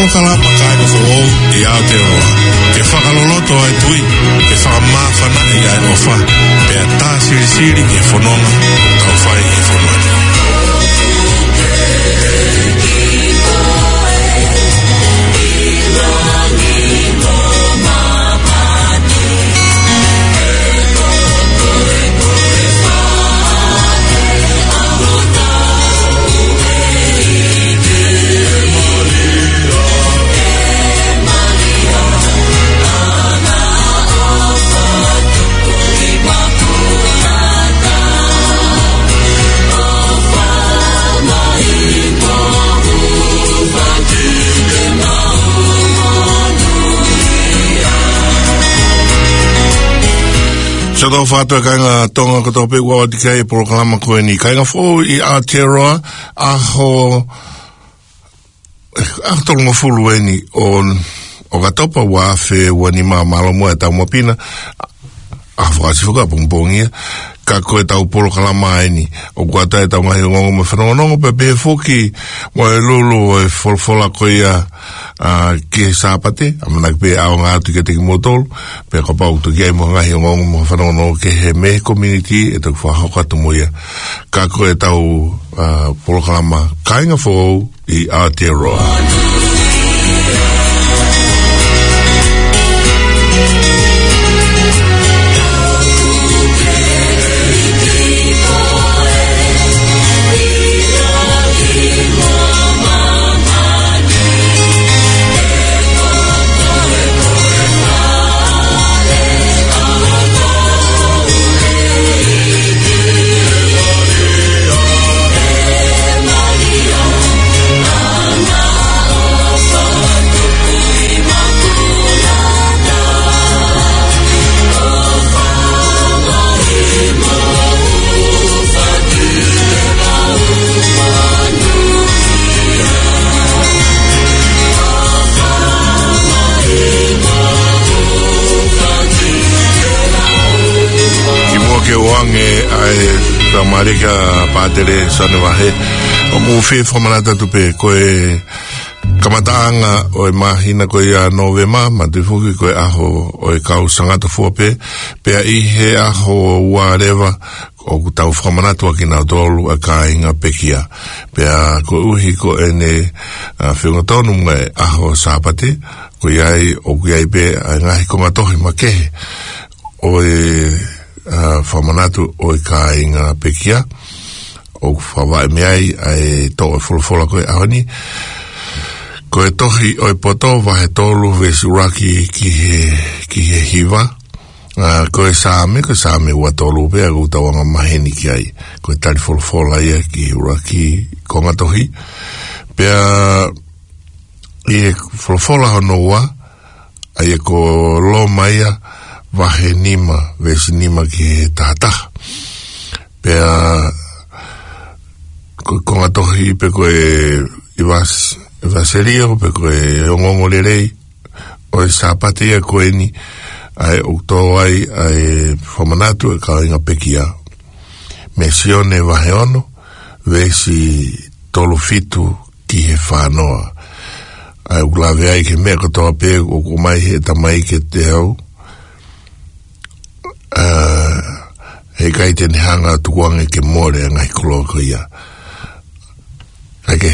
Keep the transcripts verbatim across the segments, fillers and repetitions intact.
Kalama kāinga foʻou ʻi Aotearoa. Ke fakaloloto ʻa e tui, ke fakamāfanaʻi ʻa e ʻofa, pea tā silisili ki he fononga ʻoku tau fai ʻi he fonua ni. Siʻoto fatu e kāinga Tonga kotoa pē ʻoku ʻalu atu ki he polokalama ko eni. Kāinga foʻou ʻi Aotearoa, ʻaho, ʻaho tolungofulu eni ʻo, ʻo ʻOkatopa ua afe ua nima, mālō muʻa e tau mapina, ʻaho Fakaʻosi foki ʻapongipongi ia, ka ko e tau polokalama eni, ʻoku ʻatā e tau ngaahi ongoongo mo e fanongonongo, pea pehē foki mo e lulu ʻo e folofola ko ia, ʻa, ki he Sāpate, ʻamanaki pē ʻaonga atu kiate kimoutolu, pea kapau ʻoku toki ʻi ai mo ha ngaahi ongoongo mo ha fanongonongo kehe mei he community, ʻe toki fakahoko atu mo ia. Ka ko e tau, ʻa, polokalama Kāinga Foʻou ʻi Aotearoa. Kimuʻa ke u ʻoange ʻa e faingamālie kia Pātele Sane Vahe, ʻoku ou fie fakamanatu atu pē ko e kamataʻanga ʻo e māhina ko ia Nōvema, manatuʻi foki ko e ʻaho ʻo e kau Sangata Fua Pē, pea ʻi he ʻaho ua leva ʻoku tau fakamanatu ʻa kinautolu ʻa e kāinga pekia. Pea koeʻuhi ko ʻene, ʻa, feʻunga tonu mo e ʻaho Sāpate, ko ia ai, ʻoku ʻi ai pē ʻa e ngaahi konga tohi makehe ʻo e, ʻa, fakamanatu ʻo e kāinga pekia, ʻoku fakavaʻe mei ai ʻa e toʻo e folofola ko e ʻaho ni. Ko e tohi ʻo e Poto, vahe tolu, veesi ʻuluaki ki he, ki he hiva. ʻA, ko e Saame, ko e Saame ua tolu pē ʻoku tau anga maheni ki ai. Ko e tali folofola ia ki he ʻuluaki konga tohi. Pea ʻi he folofola hono ua, ʻa ia ko Loma ia, vahe nima, veesi nima ki he taha taha. Pea ko e konga tohi pe ko e ʻevas-, ʻevaselio, pe ko e ongoongo lelei ʻo e Sāpate ia ko eni, ʻa ē ʻoku tō ai ʻa e fakamanatu ʻa e kāinga pekia. Mei Sione vahe ono, veesi tolu fitu ki he fā noa. ʻA ē ʻoku lave ai ki he meʻa kotoa pē ʻoku ʻomai ʻe he Tamai kiate au, ʻa, heʻikai te ne hanga ʻo tukuange ke mole ʻa e ngaahi koloa ko ia. ʻA ia ke,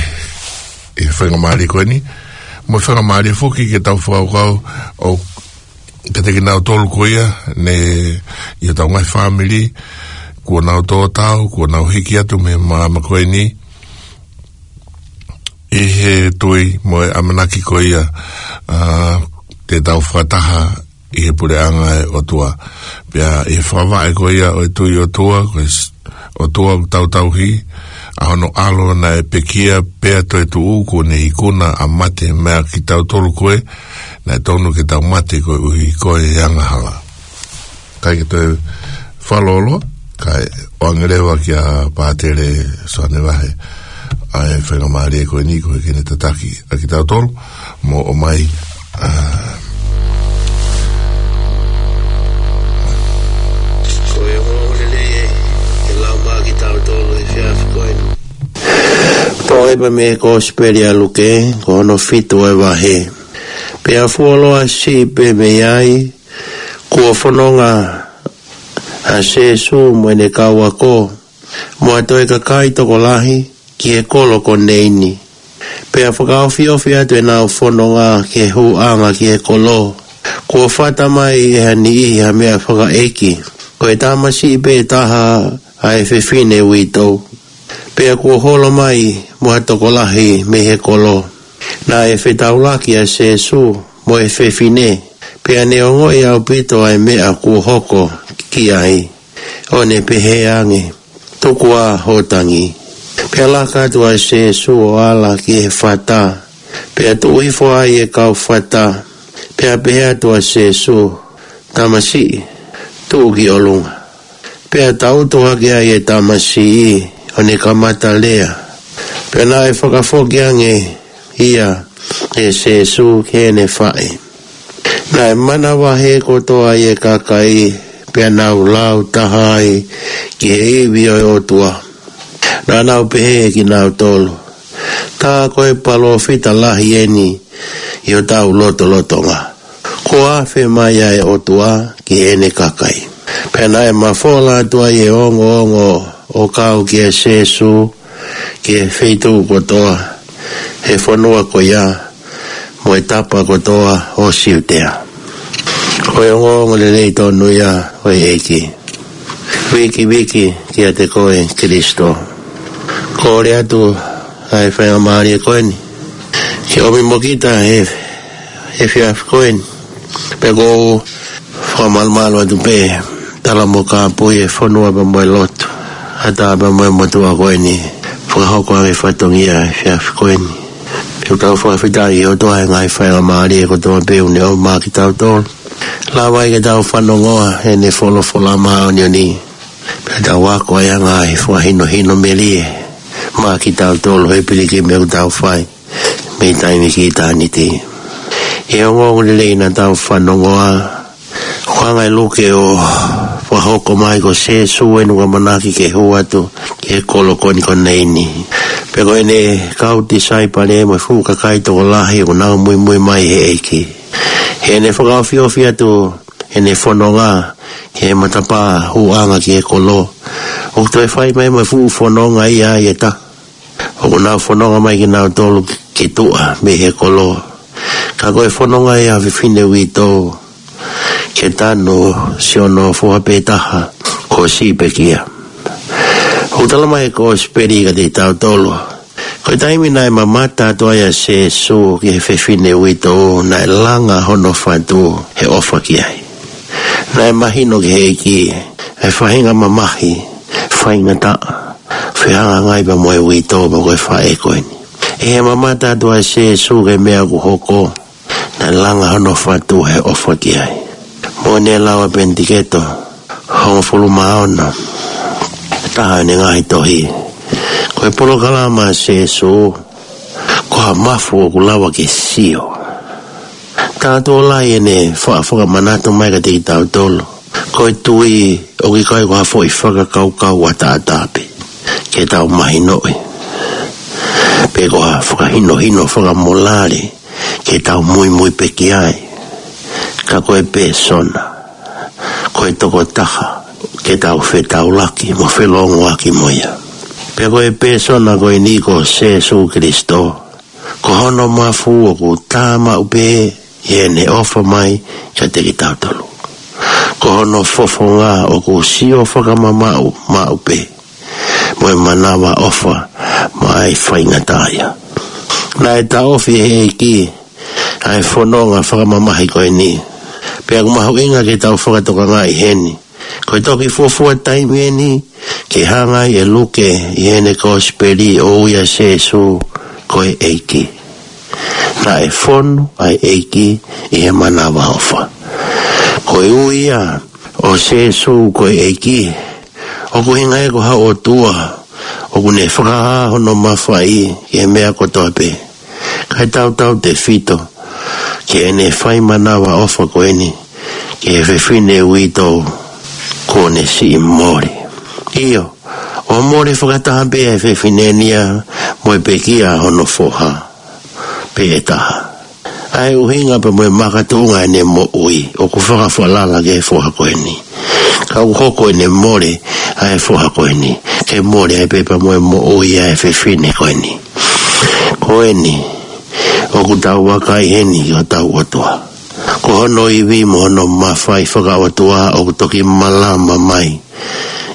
ʻi he faingamālie ko eni, mo e faingamālie foki ke tau fakakaukau ʻo kiate kinautolu ko ia, ne, ʻi hotau ngaahi fāmili, kuo nau tō tau, kuo nau hiki atu mei he māmani ko eni, ʻi he tui mo e ʻamanaki ko ia, ʻa, te tau fakataha ʻi he puleʻanga ʻo e ʻOtua. Pea ʻi he fakavaʻe ko ia ʻo e tui ʻOtua, ko e s-, ʻOtua ʻoku tau tauhi, ʻa hono ʻAlo naʻe pekia pea toetuʻu, kuo ne ikuna ʻa mate maʻa kitautolu ko ē, naʻe tonu ke tau mate koeʻuhi ko e angahala. Kae ke toe fakalōloa, kae ʻoange leva kia Pātele Sane Vahe ʻa e faingamālie ko eni ko e ke ne tataki ʻa kitautolu mo ʻomai, ʻa, ko e ongoongo lelei ē, ke lau maʻa kitautolu he efiafi ko eni. Ko Pea mei he Kosipeli ʻa Luke, ko hono fitu ʻo e vahe. Pea fuoloa siʻi pē mei ai, kuo fononga ʻa Sēsū mo ʻene kau ako, mo ha toe kakai tokolahi ki he kolo ko Neini. Pea fakaofiofi atu ʻenau fononga ki he hūʻanga ki he kolo, kuo fata mai ʻe ha niʻihi ha meʻa fakaʻeiki, ko e tamasiʻi pē taha ʻa e fefine uitou. Pea kuo holo mai mo ha tokolahi mei he kolo. Naʻe fetaulaki ʻa Sēsū mo e fefine, pea ne ongoʻi ʻaupito ʻa e meʻa kuo hoko ki ai, ʻo ne pehē ange, Tuku ā hoʻo tangi. Pea laka atu ʻa Sēsū ʻo ala ki he fata, pea tuʻu hifo ai e kau fata, pea pehē atu ʻa Sēsū, Tamasiʻi, tuʻu ki ʻolunga. Pea tautu hake ai e tamasiʻi, ʻo ne kamata lea. Pea naʻe fakafoki ange ia ʻe Sēsū ki heʻene faʻē. Naʻe manavahē kotoa ʻa e kakai, pea nau lau taha ai ki he ivi ʻo e ʻOtua. Naʻa nau pehē kinautolu, Tā ko e palōfita lahi eni ʻi hotau lotolotonga. Kuo afe mai ʻa e ʻOtua ki heʻene kakai. Pea naʻe mafola atu ai e ongoongo ʻo kau kia Sēsū ki he feituʻu kotoa he fonua ko ia, mo e tapa kotoa ʻo Siutea. Ko e ongoongo lelei tonu ia ʻo e ʻEiki. Viki, viki kiate koe Kalaisi. Kole atu ʻa e faingamālie ko eni ke ʻomi mo kita he, he efiafi ko eni. Pea ʻoku ou fakamalumalu atu pē, tala mo kāpui e fonua pea mo e lotu, ʻatā pea mo e motuʻa ko eni, fakahoko ʻa e fatongia he efiafi ko eni. Pea ʻoku tau fakafetaʻi ʻi he ʻOtua he ngaahi faingamālie kotoa pē ʻoku ne ʻomai maʻa kitautolu. Lava ai ke tau fanongoa ʻene folofola māʻoniʻoni. Pea tau ako ai ʻa e ngaahi fakahinohino melie maʻa kitautolu he pilikimi ʻoku tau fai mei taimi ki ʻitāniti. ʻI he ongoongo lelei naʻa tau fanongoa, ʻoku hanga ʻe Luke ʻo fakahoko mai ko Sēsū ʻene ʻamanaki ke hū atu ki he kolo ko eni ko Neini. Pea ko ʻene kau tisaipale mo e fuʻu kakai tokolahi ʻoku nau muimui mai he ʻEiki. Heʻene fakaofiofi atu ʻene fononga ki he matapā hūʻanga ki he kolo, ʻoku toe fai mai mo e fuʻu fononga ia ʻa e taha. ʻOku nau fononga mai kinautolu ki tuʻa mei he kolo. Ka ko e fononga ia ʻa e fefine uitou ke tanu siʻono foha pē taha kuo siʻi pekia. ʻOku tala mai ʻe he Kosipeli kiate kitautolu, ko e taimi naʻe mamata atu ai ʻa Sēsū ki he fefine uitou, naʻe langa hono fatu he ʻofa ki ai. Naʻe mahino ki he ʻEiki ʻa e faʻahinga mamahi faingataʻa, fehangahangai pea mo e uitou pea ko e faʻē ko eni. ʻI he mamata atu ʻa Sēsū ki he meʻa ʻoku hoko, naʻe langa hono fatu he ʻofa ki ai. Mo ʻene lau ʻa Penitiketo hongofulu mā ono, taha ʻene ngaahi tohi, ko e polokalama ʻa Sēsū ko ha mafu ʻoku lava ke sio. Taha tuʻo lahi ʻene fa-, fakamanatu mai kiate kitautolu, ko e tui ʻoku ʻikai ko ha foʻi fakakaukau ʻataʻatā pē ke tau mahinoʻi, pe ko ha fakahinohino fakamolale ke tau muimui pē ki ai. Ka ko e pēsona, ko e tokotaha ke tau fetaulaki mo felōngoaki mo ia. Pea ko e pēsona ko eni ko Sēsū Kalaisi, ko hono mafu ʻoku tā maʻu pē ʻi heʻene ʻofa mai kiate kitautolu. Ko hono fofonga ʻoku sio fakamamaʻu maʻu pē mo e manavaʻofa maʻa e faingataʻaʻia. Naʻe taʻofi ʻe he ʻEiki ʻa e fononga fakamamahi ko eni. Pea ʻoku mahuʻinga ke tau fakatokangaʻi heni, ko e toki fuofua taimi eni ke hanga ai ʻe Luke ʻi heʻene Kosipeli ʻo ui ʻa Sēsū ko e ʻEiki. Naʻe fonu ʻa e ʻEiki ʻi he manavaʻofa. Ko e ui ia ʻo Sēsū ko e ʻEiki, ʻoku ʻuhinga ia ko ha ʻOtua ʻoku ne fakahā hono mafai ki he meʻa kotoa pē. Kae tautautefito ki heʻene fai manavaʻofa ko eni ki he fefine uitou kuo ne siʻi mole. ʻIo, ʻo mole fakataha pē ʻa e fefine ni ia mo e pekia hono foha pē ʻe taha. ʻA e ʻuhinga pea mo e makatuʻunga ʻene moʻui ʻoku fakafalala ki he foha ko eni. Ka ʻoku hoko ʻene mole ʻa e foha ko eni ke mole ai pē pea mo e moʻui ʻa e fefine ko eni. Ko eni, ʻoku tau vakai heni ki hotau ʻOtua. Ko hono ivi mo hono mafai fakaʻotua ʻoku toki malama mai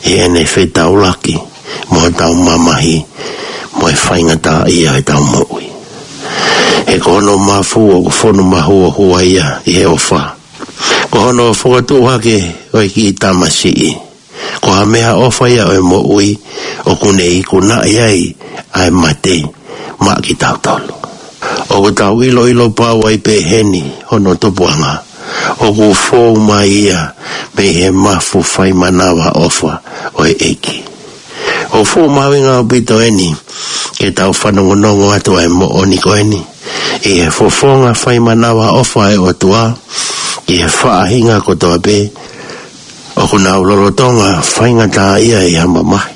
ʻi heʻene fetaulaki mo hotau mamahi mo e faingataʻaʻia ʻetau moʻui. He ko hono mafu ʻoku fonu mahuohua ia ʻi he ʻofa. Ko hono fokotuʻu hake ʻo e kiʻi tamasiʻi, ko ha meʻaʻofa ia ʻo e moʻui ʻoku ne ikunaʻi ai ʻa e mate maʻa kitautolu. ʻOku tau ʻiloʻilo pau ai pē heni hono tupuʻanga ʻoku fou mai ia mei he mafu faimanavaʻofa ʻo e ʻEiki. ʻOku fuʻu mahuʻinga ʻaupito eni ke tau fanongonongo atu ʻa e moʻoni ko eni ʻi he fofonga faimanavaʻofa ʻa e ʻOtua ki he faʻahinga kotoa pē ʻoku nau lolotonga faingataʻaʻia ʻi ha mamahi.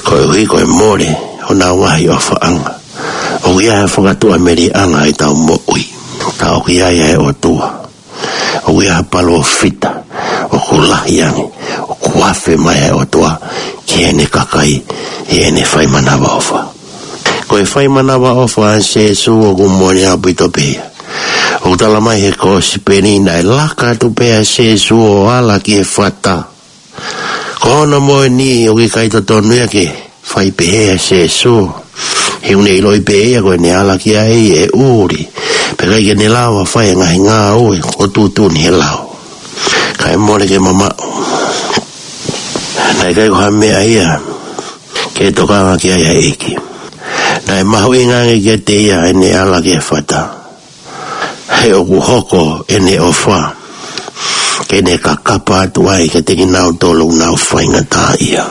Koeʻuhi ko e mole honau ngaahi ʻofaʻanga, ʻoku ʻi ai ha fakatuʻamelie ʻanga ʻetau moʻui. Ka ʻoku ʻi ai ʻa e ʻOtua. ʻOku ʻi ai ha palōfita ʻoku lahi ange, ʻoku afe mai ʻa e ʻOtua ki heʻene kakai ʻi heʻene faimanavaʻofa. Ko e faimanavaʻofa ʻa Sēsū ʻoku moʻoni ʻaupito pē ia. ʻOku tala mai he Kōsipeli naʻe laka atu pē ʻa Sēsū ʻo ala ki he fata. Ko hono moʻoni ʻoku ʻikai totonu ia ke fai pehē ʻa Sēsū. He ʻoku ne ʻiloʻi pē ia ko ʻene ala ki ai ʻe ʻuli, pea ʻikai ke ne lava fai e ngaahi ngāue ʻoku tuʻutuʻuni he lao. Kae mole ke mamaʻo. Naʻe ʻikai ko ha meʻa ia ke tokanga ki ai ʻa e ʻEiki. Naʻe mahuʻinga ange kiate ia ʻene ala ki he fata. He ʻoku hoko ʻene ʻofa ke ne kakapa atu ai kiate kinautolu ʻoku nau faingataʻaʻia.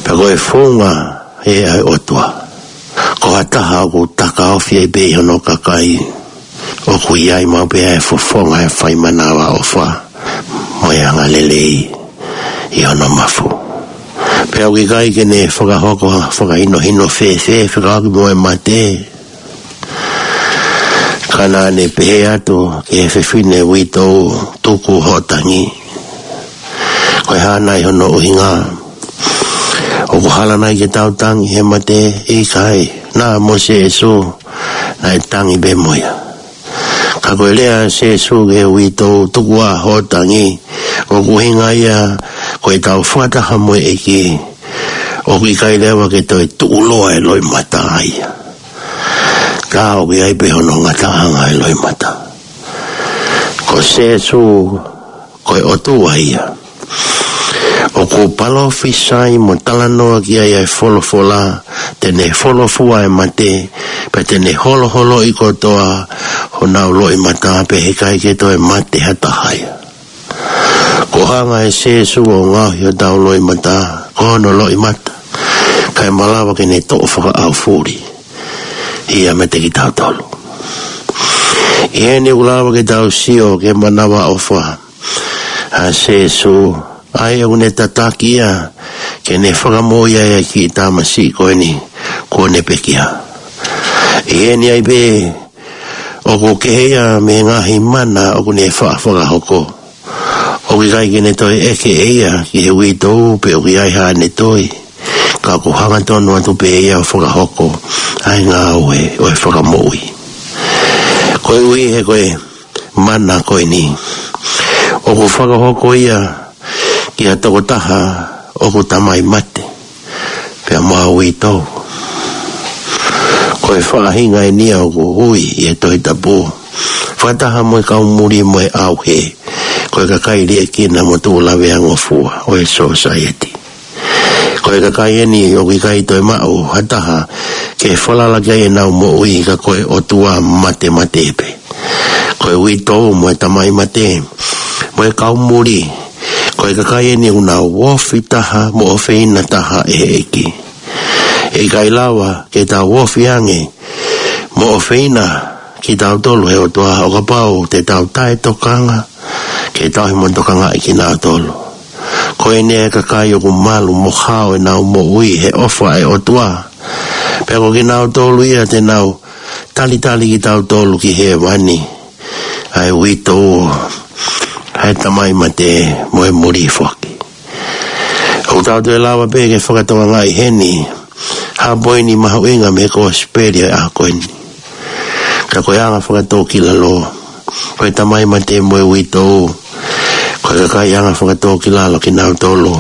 Pea ko e founga ē ʻa e ʻOtua, ko ha taha ʻoku takaofi ai pē ʻi hono kakai ʻoku ʻi ai maʻu pē ʻa e fofonga ʻo e faimanavaʻofa mo e angalelei ʻi hono mafu. Pea ʻoku ʻikai ke ne fakahoko ha fakahinohino fēfē fekauʻaki mo e mate. Ka naʻa ne pehē atu ki he fefine uitou, tuku hoʻo tangi. Ko e hā nai hono ʻuhinga? ʻOku hala nai ke tau tangi he mate? ʻIkai. Naʻa mo Sēsū naʻe tangi pē mo ia. Ka ko e lea ʻa Sēsū ki he uitou, tuku ā hoʻo tangi, ʻoku ʻuhinga ia ko ʻetau fakataha mo e ʻEiki, ʻoku ʻikai leva ke toe tuʻuloa e loʻimata ia. Ka ʻoku ʻi ai pē hono ngataʻanga e loʻimata. Ko Sēsū ko e ʻOtua ia ʻoku palōfisai mo talanoa ki ai ʻa e folofola, te ne folofua e mate, pea te ne holoholoʻi kotoa honau loʻimata, pea heʻikai ke toe mate ha taha ia. Kuo hanga ʻe Sēsū ʻo ngaohi hotau loʻimata, ko hono loʻimata, kae malava ke ne toʻo fakaʻaufuli ia meiate kitautolu. ʻI heni ʻoku lava ke tau sio ki he manavaʻofa ʻa Sēsū, ʻa ia ʻoku ne tataki ia ke ne fakamoʻui ai ʻa e kiʻi tamasiʻi ko eni kuo ne pekia. ʻI heni ai pē ʻoku kehe ia mei he ngaahi mana ʻoku ne faʻa fakahoko. ʻOku ʻikai ke ne toe ʻeke ʻe ia ki he uitou pe ʻoku ʻi ai haʻane toi, ka ʻoku hangatonu atu pē ia ʻo fakahoko ʻa e ngāue ʻo e fakamoʻui. Koeʻuhi he ko e mana ko eni ʻoku fakahoko ia ki ha tokotaha ʻoku tamai mate pea mo ha uitou. Ko e faʻahinga eni ia ʻoku ui ʻi he Tohi Tapu, fakataha mo e kau muli mo e ʻauhē, ko e kakai liʻekina mo tuʻu laveangofua ʻo e sōsaieti. Ko e kakai eni ʻoku ʻikai toe maʻu ha taha ke falala ki ai ʻenau moʻui ka ko e ʻotua matemate pē. Ko e uitou mo e tamai mate mo e kau muli, ko e kakai eni ʻoku nau ofi taha mo ʻofeina taha ʻe he ʻEiki. ʻE ʻikai lava ke tau ofi ange mo ʻofeina kitautolu ʻe he ʻOtua ʻo kapau te tau taʻetokanga ke tauhi mo tokangaʻi kinautolu. Ko eni ʻa e kakai ʻoku malu mo hao ʻenau moʻui he ʻofa ʻa e ʻOtua, Pea ko kinautolu ia te nau talitali kitautolu ki hēvani, ʻa e uitou ʻa e tamai mate mo e muli foaki. ʻOku tau toe lava pē ke fakatokangaʻi heni ha poini mahuʻinga mei he kosipeli ʻo e ʻaho ko eni. Ka ko e anga fakatōkilalo, ko e tamai mate mo e uitou, ko e kakai anga fakatōkilalo kinautolu,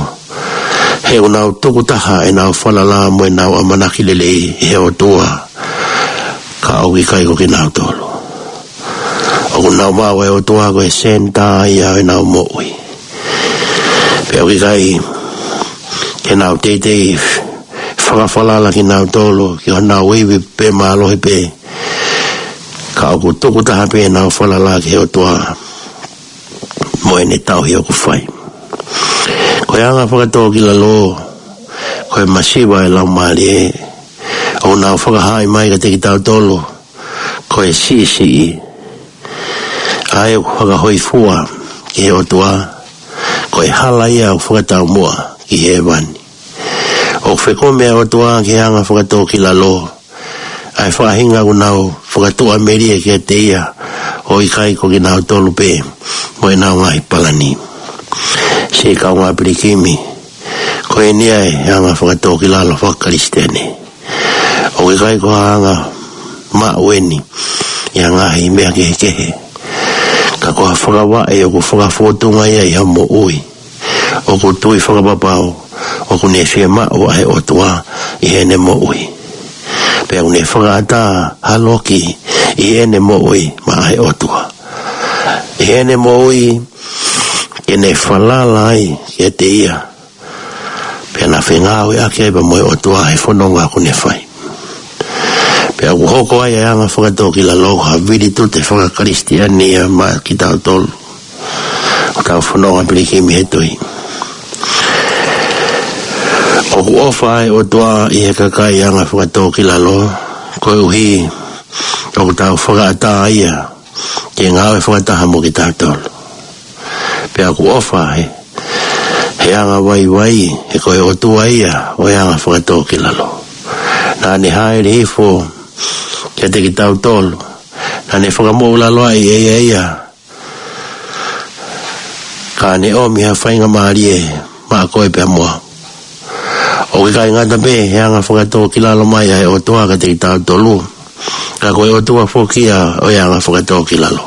he ʻoku nau tukutaha ʻenau falala mo ʻenau ʻamanaki lelei ʻi he ʻOtua, ka ʻoku ʻikai ko kinautolu. ʻOku nau maʻu ʻa e ʻOtua ko e senitā ia ʻo ʻenau moʻui. Pea ʻoku ʻikai ke nau teitei fakafalala kinautolu ki honau ivi pē mālohi pē, ka ʻoku tukutaha pē ʻenau falala ki he ʻOtua mo ʻene tauhi ʻoku fai. Ko e anga fakatōkilalo, ko e masiva ʻo e Laumālie, ʻoku nau fakahaaʻi mai kiate kitautolu ko e siʻisiʻi ʻa ia ʻoku fakahōifua ki he ʻOtua, ko e hala ia ʻoku fakataumuʻa ki hēvani. ʻOku fekumi ʻa e ʻOtua ki he anga fakatōkilalo ʻa e faʻahinga ʻoku nau fakatuʻamelie kiate ia, ʻo ʻikai ko kinautolu pē mo ʻenau ngaahi palani. Siʻi kaungā pilikimi, ko eni ʻa e anga fakatōkilalo fakakalisitiane. ʻOku ʻikai ko ha anga maʻu eni ʻi ha ngaahi meʻa kehekehe, ka ko ha fakavaʻe ʻoku fakafōtunga ia ʻi ha moʻui ʻoku tui fakapapau ʻoku ne fiemaʻu ʻa e ʻOtua ʻi heʻene moʻui. Pea ʻoku ne fakaʻatā ha loki ʻi heʻene moʻui maʻa e ʻOtua, ʻi heʻene moʻui ke ne falala ai kiate ia, pea na fengāueʻaki ai pea mo e ʻOtua he fononga ʻoku ne fai. Pea ʻoku hoko ai ʻa e anga fakatōkilalo ko ha vilitute fakakalisitiane ia maʻa kitautolu ʻoku tau fononga pilikimi he tui. ʻOku ʻofa ʻa e ʻOtua ʻi he kakai anga fakatōkilalo, koeʻuhi ʻoku tau fakaʻatā ia ke ngāue fakataha mo kitautolu. Pea ʻoku ʻofa he, he anga vaivai, he ko e ʻOtua ia ʻo e anga fakatōkilalo. Naʻa ne hāʻele hifo kiate kitautolu, naʻa ne fakamoʻulaloa ʻi he ia ia, ka ne ʻomi ha faingamālie maʻa koe pea mo au. ʻOku ʻikai ngata pē he anga fakatōkilalo mai ʻa e ʻOtua kiate kitautolu, ka ko e ʻOtua foki ia ʻo e anga fakatōkilalo.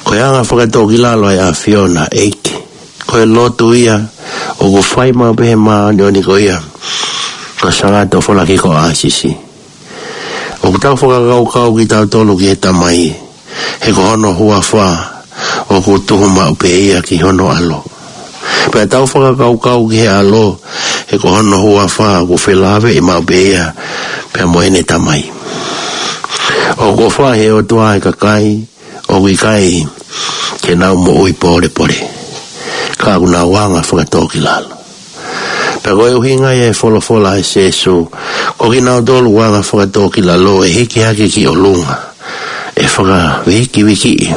Ko e anga fakatōkilalo ʻa e ʻAfiona ʻEiki, ko e lotu ia ʻoku fai maʻu pē he māʻoniʻoni ko ia ko Sāngato Falasikō ʻAsisi. ʻOku tau fakakaukau kitautolu ki he Tamai, he ko hono huafa ʻoku tuhu maʻu pē ia ki hono ʻAlo. Pea tau fakakaukau ki he ʻAlo, he ko hono huafa ʻoku felāveʻi maʻu pē ia pea mo ʻene Tamai. ʻOku ʻofa he ʻOtua ʻa e kakai ʻoku ʻikai ke nau moʻui pōlepole, ka ʻoku nau anga fakatōkilalo. Pea ko e ʻuhinga ia e folofola ʻa Sīsū, ko kinautolu anga fakatōkilalo ʻe hiki hake ki ʻolunga, ʻe fakavikivikiʻi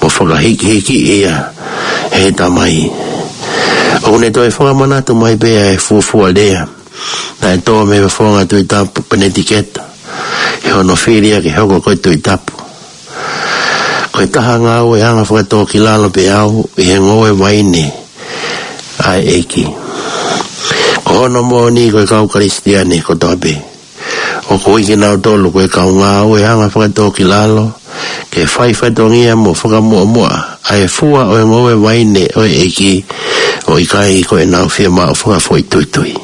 mo fakahikihikiʻi ia ʻe he Tamai. ʻOku ne toe fakamanatu mai pē ʻa e fuofua lea naʻe tō mei he fofonga Tuʻi Tapu Panetiketa, ʻi hono fili ia ke hoko ko e Tuʻi Tapu. Ko e taha ngāue anga fakatōkilalo pē au ʻi he ngoue vaine ʻa e ʻEiki. Ko hono moʻoni ko e kau Kalisitiane kotoa pē, ʻoku ui kinautolu ko e kau ngāue anga fakatōkilalo, ke fai fatongia mo fakamuʻomuʻa ʻa e fua ʻo e ngoue vaine ʻo e ʻEiki, ʻo ʻikai ko ʻenau fiemaʻu fakafoʻituitui.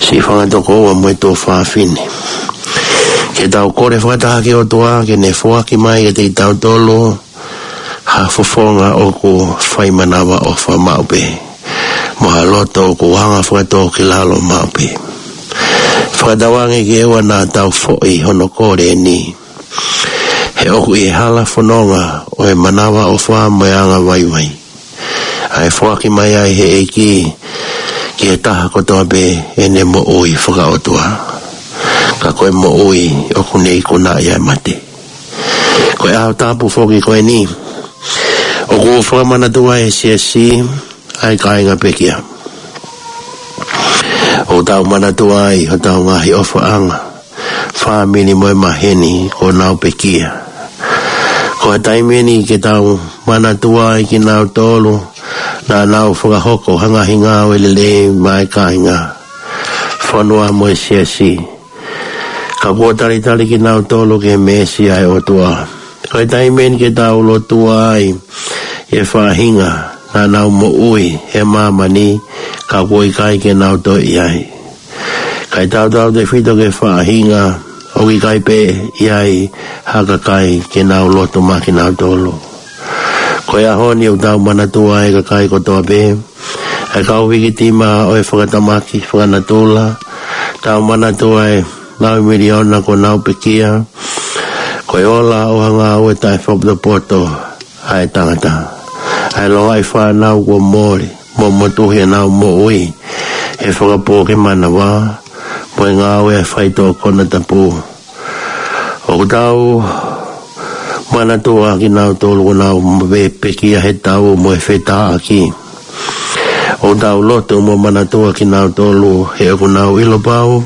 Siʻi fanga tokoua mo e tuofāfine, ke tau kole fakataha ki he ʻOtua ke ne foaki mai kiate kitautolu ha fofonga ʻoku fai manavaʻofa maʻu pē, mo ha loto ʻoku anga fakatōkilalo maʻu pē. Fakatauange ke ʻoua naʻa tau foʻi hono kole ni, he ʻoku ʻi he hala fononga ʻo e manavaʻofa mo e anga vaivai ʻa e foaki mai ʻa e ʻEiki ki he taha kotoa pē ʻene moʻui fakaʻotua, ka ko e moʻui ʻoku ne ikunaʻi ʻa e mate. Ko e ʻaho tapu foki ko eni ʻoku fakamanatu ai ʻe he Siasi ʻa e kāinga pekia. ʻOku tau manatua ai hotau ngaahi ʻofaʻanga, fāmili mo e maheni kuo nau pekia. Ko e taimi eni ke tau manatua ai kinautolu naʻa nau fakahoko ha ngaahi ngāue lelei maʻa e kāinga, fonua mo e siasi. Ka kuo talitali kinautolu ki he meesi ʻa e ʻOtua. Ko e taimi eni ke tau lotua ai ʻi he faʻahinga naʻa nau moʻui he māmani, ka kuo ʻikai ke nau toe ʻi ai. Kae tautautefito ki he faʻahinga ʻoku ʻikai pē ʻi ai ha kakai ke nau lotu maʻa kinautolu. Ko e ʻaho ni ʻoku tau manatua ai e kakai kotoa pē, ʻa e kau vikitima ʻo e fakatamaki fakanatula. Tau manatua e nau miliona kuo nau pekia. Ko e ola ʻo ha ngāue taʻefaʻapotopoto ʻa e tangata. ʻA e longaʻi fānau kuo mole mo motuhi ʻenau moʻui he fakapō ki he manava mo e ngāue ʻa e faitoʻo konatapu. ʻOku tau manatua kinautolu kuo nau pe-, pekia he tau mo e fetāʻaki. ʻOku tau lotu mo manatua kinautolu he ʻoku nau ʻilo pau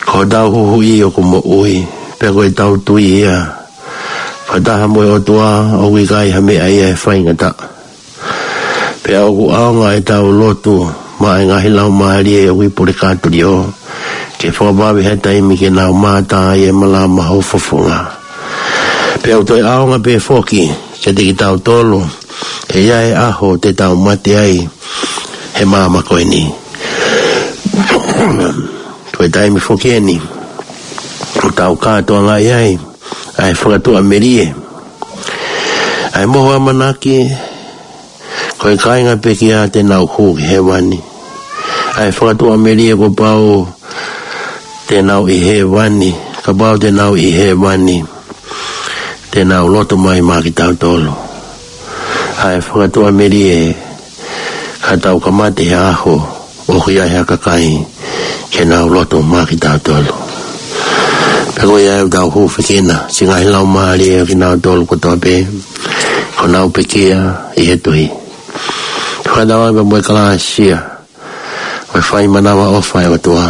ko hotau Huhuʻi ʻoku moʻui, pea ko ʻetau tui ia. Fakataha mo e ʻOtua ʻoku ʻikai ha meʻa ia ʻe faingataʻa. Pea ʻoku ʻaonga ʻetau lotu maʻa e ngaahi laumālie ʻoku ʻi pule kātulio, ke fakavave ha taimi ke nau mātā ʻi he malama ho fofonga. Pea ʻoku toe ʻaonga pē foki kiate kitautolu he ʻe ʻi ai e ʻaho te tau mate ai he māmani ko eni. Ko e taimi foki eni ʻoku tau kātoangaʻi ai ʻa e fakatuʻamelie, ʻa e mohu ʻamanaki ko e kāinga pekia te nau hū ki hēvani. ʻA e fakatuʻamelie kuo pau te nau ʻi hēvani, kapau te nau ʻi hēvani, te nau lotu mai maʻa kitautolu. ʻA e fakatuʻamelie ka tau ka mate he ʻaho ʻoku ʻi ai ha kakai ke nau lotu maʻa kitautolu. Pea ko ia ʻoku tau hūfekina siʻi ngaahi laumālie ʻo kinautolu kotoa pē kuo nau pekia ʻi he tuʻi. Fakatauange pea mo e kalāsia ʻo e fai manavaʻofa ʻa e ʻOtua,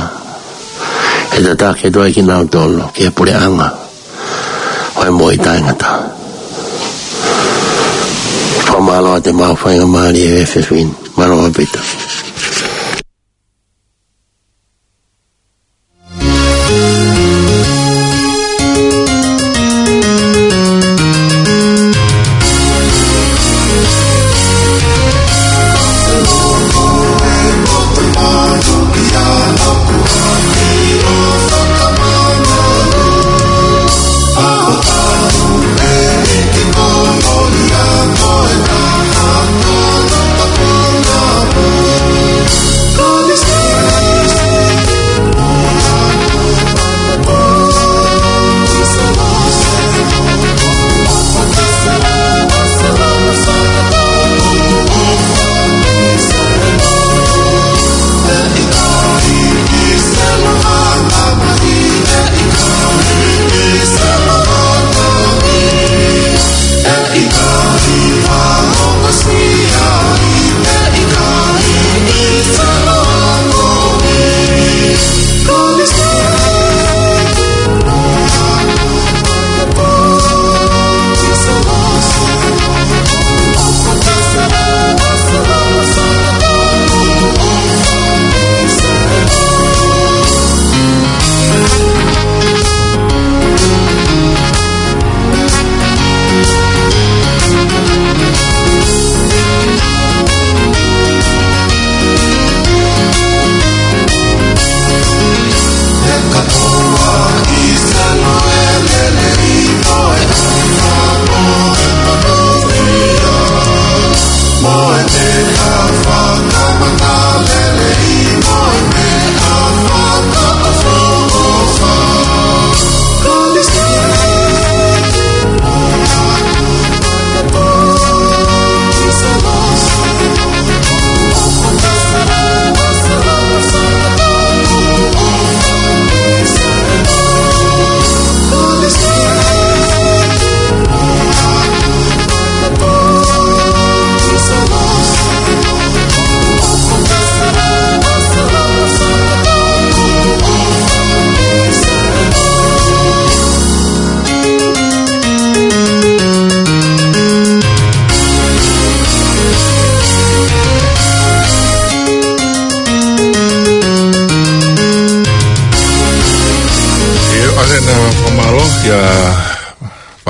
ʻe tataki atu ai kinautolu ki he puleʻanga ʻo e moʻui taʻengata. Fakamālō atu e mau faingamālie he efiafi ni. Mālō ʻaupito.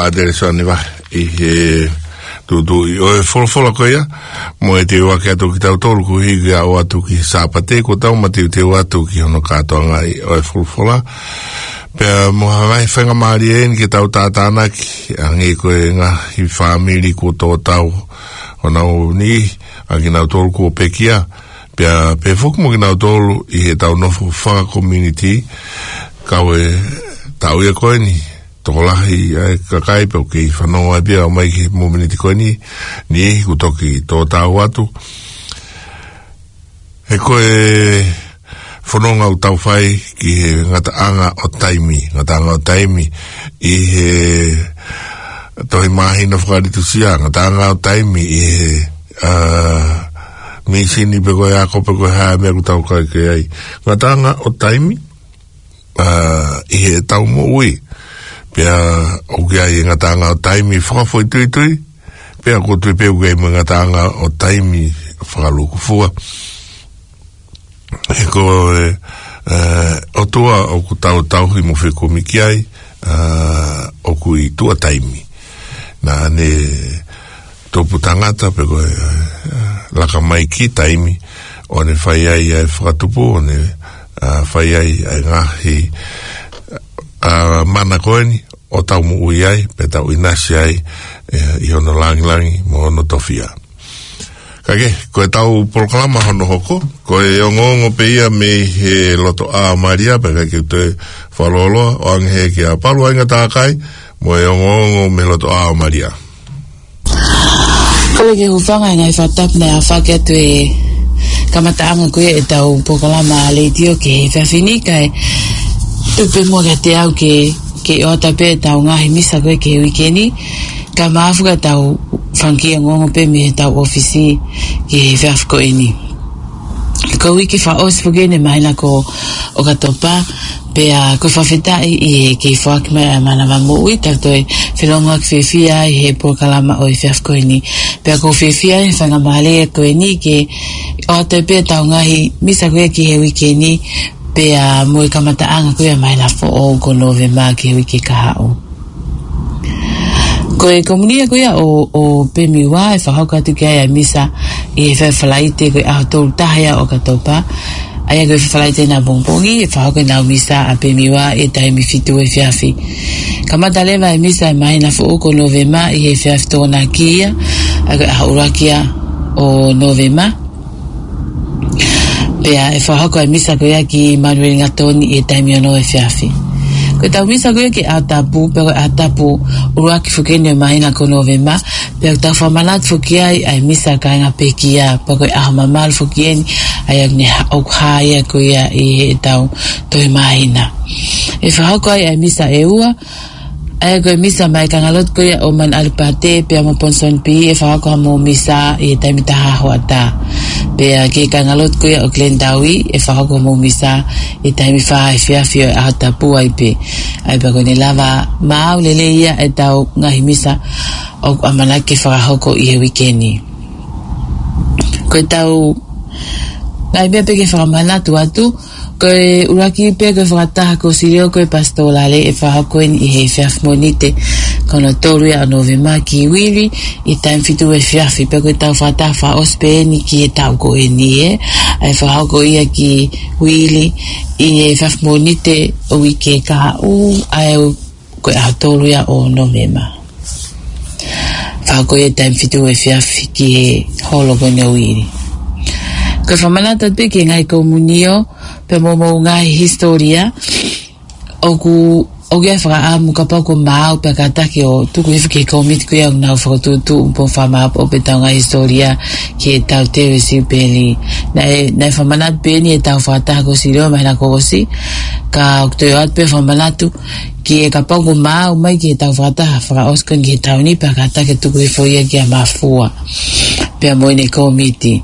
Atelesoni Vahe ʻi he tuʻutuʻuni ʻo e folofola ko ia, mo e teu ake atu kitautolu koeʻuhi ke ʻoatu ki he Sāpate, ko ʻetau mateuteu atu ki hono kātoangaʻi ʻo e folofola. Pea mo ha ngaahi faingamālie eni ke tau tātānaki, hangē ko e ngaahi fāmili kuo tō tau honau niʻihi, ʻa kinautolu kuo pekia, pea pehē foki mo kinautolu ʻi heʻetau nofo fakakomiunitī, kau e tau ia ko eni, tokolahi ʻa e kakai pē ʻoku kei fanongo ai pē ʻo ʻomai ki he miniti ko eni, niʻihi kuo toki tō tau atu. He ko e fononga ʻoku tau fai ki he ngataʻanga ʻo taimi, ngataʻanga ʻo taimi ʻi he tohi māhina fakalitusia, ngataʻanga ʻo taimi ʻi he, ā, mīsini pe ko e ako pe ko e hā e meʻa ʻoku tau kai ki ai. Ngataʻanga ʻo taimi, ā, ʻi heʻetau moʻui. Pea ʻoku ʻi ai e ngataʻanga ʻo taimi fakafoʻituitui, pea ʻoku ou tui pē ʻoku ʻi ai mo e ngataʻanga ʻo taimi fakalūkufua. He ko e, ē, ʻOtua ʻoku tau tauhi mo fekumi ki ai, ā, ʻoku ʻi tuʻa taimi. Naʻa ne tupu tangata pe ko e, ē, laka mai ki taimi, ʻo ne fai ai ʻa e fakatupu, ʻo ne, ā, fai ai ʻa e ngaahi, ā, mana ko eni, ʻo tau moʻui ai, pea tau ʻinasi ai, ē, ʻi hono langilangi mo hono tofiʻa. Ka ke, ko ʻetau polokalama hono hoko, ko e ongoongo pē ia mei he loto ʻā ʻo Malia, pea ʻikai ke u toe fakalōloa, ʻoange he kia Palu Ainga Takai, mo e ongoongo mei he loto ʻā ʻo Malia. Kole ke u hūfanga he ngaahi fakatapu naʻe ʻohake atu he kamataʻanga ko ia ʻetau polokalama letiō ki he efiafi ni, kae tuku pē muʻa kiate au ke, ke ʻoatu pē ʻetau ngaahi misa ko ia ki he uike ni, kae maʻu ʻetau fanga kiʻi ongoongo pē mei heʻetau ʻōfisi ki he efiafi ko eni. Ko e uike fakaʻosi foki eni ʻo e māhina ko ʻOkatopa, pea ʻoku ou fakafetaʻi ʻi he kei foaki mai ʻa e mānava moʻui, tau toe felōngoaki fiefia ai he polokalama ʻo e efiafi ko eni. Pea ʻoku ou fiefia he faingamālie ko eni ke ʻoatu pē ʻetau ngaahi misa ko ia ki he uike ni, pea mo e kamataʻanga ko ia ʻo e māhina foʻou ko Nōvema ki he uike kahaʻu. Ko e komiunio ko ia ʻo, ʻo Pemiua ʻe fakahoko atu ki ai ʻa e misa ʻi he efiafi Falaite ko e ʻaho tolu taha ia ʻo ʻOkatopa. ʻA ia ko e Falaite ʻapongipongi ʻe fakahoko ʻenau misa ʻa Pemiua ʻi he taimi fitu efiafi. Kamata leva e misa ʻo e māhina foʻou ko Nōvema ʻi he efiafi Tokonaki ia, ʻa ia ko e ʻaho ʻuluaki ia ʻo Nōvema. Pea ʻe fakahoko e misa ko ia ki Manueli Ngatoni ʻi he taimi ono efiafi. Ko ʻetau misa ko ia ki he ʻaho tapu, pea ko e ʻaho tapu ʻuluaki foki eni ʻo e māhina ko Nōvema, pea ʻoku tau fakamanatu foki ai ʻa e misa ʻa e kāinga pekia, pea ko e ʻaho mamalu foki eni, ʻa ia ʻoku ne ha-, ʻoku hā ia ko ia ʻi heʻetau tohi māhina. ʻE fakahoko ai ʻa e misa ʻe ua, ʻa ia ko e misa maʻá e kāingalotu ko ia ʻo Manu ʻAlipate pea mo Ponson Pī, ʻe fakahoko hoʻomou misa ʻi he taimi taha hoʻatā. Pea ki he kāingalotu ko ia ʻo Glendowie, ʻe fakahoko hoʻomou misa ʻi he taimi fā efiafi ʻo e ʻaho tapu ai pē. ʻA ia pea ko ʻene lava maʻu lelei ia ʻetau ngaahi misa ʻoku ʻamanaki ke fakahoko ʻi he uike ni. Ko ʻetau ngaahi meʻa pē ke fakamanatu atu, ko e ʻuluaki pē ko e fakataha kosilio ko e pasitolale ʻe fakahoko eni ʻi he efiafi Mōnite ko hono tolu ia ʻo Nōvema ki Uili ʻi he taimi fitu efiafi, pea ko ʻetau fakataha fakaʻosi pē eni ki he taʻu ko eni ē, ʻa ia ʻe fakahoko ia ki Uili ʻi he efiafi Mōnite ʻo e uike kahaʻu, ʻa ia ko e ʻaho tolu ia ʻo Nōvema. Fakahoko ia ʻi he taimi fitu efiafi ki he holo ko eni ʻo Uili. Ko e fakamanatu atu pē ki he ngaahi komiunio, pea mo hoʻomou ngaahi hisitōlia, ʻoku, ʻoku ʻi ai e fakaʻamu kapau ʻoku maau pea kātaki ʻo tuku hifo ki he kōmiti ko ia ʻoku nau fakatuʻutuʻu mo fakamāʻopoʻopo ʻetau ngaahi hisitōlia ki heʻetau teu e siupeli. Naʻe, naʻe fakamanatu pē eni ʻetau fakataha kosilio māhina kuo ʻosi, ka ʻoku toe ʻoatu pē fakamanatu ki he kapau ʻoku maau mai ki heʻetau fakataha fakaʻosi ko eni ki he taʻu ni, pea kātaki ʻo tuku hifo ia kia Mafua pea mo ʻene kōmiti.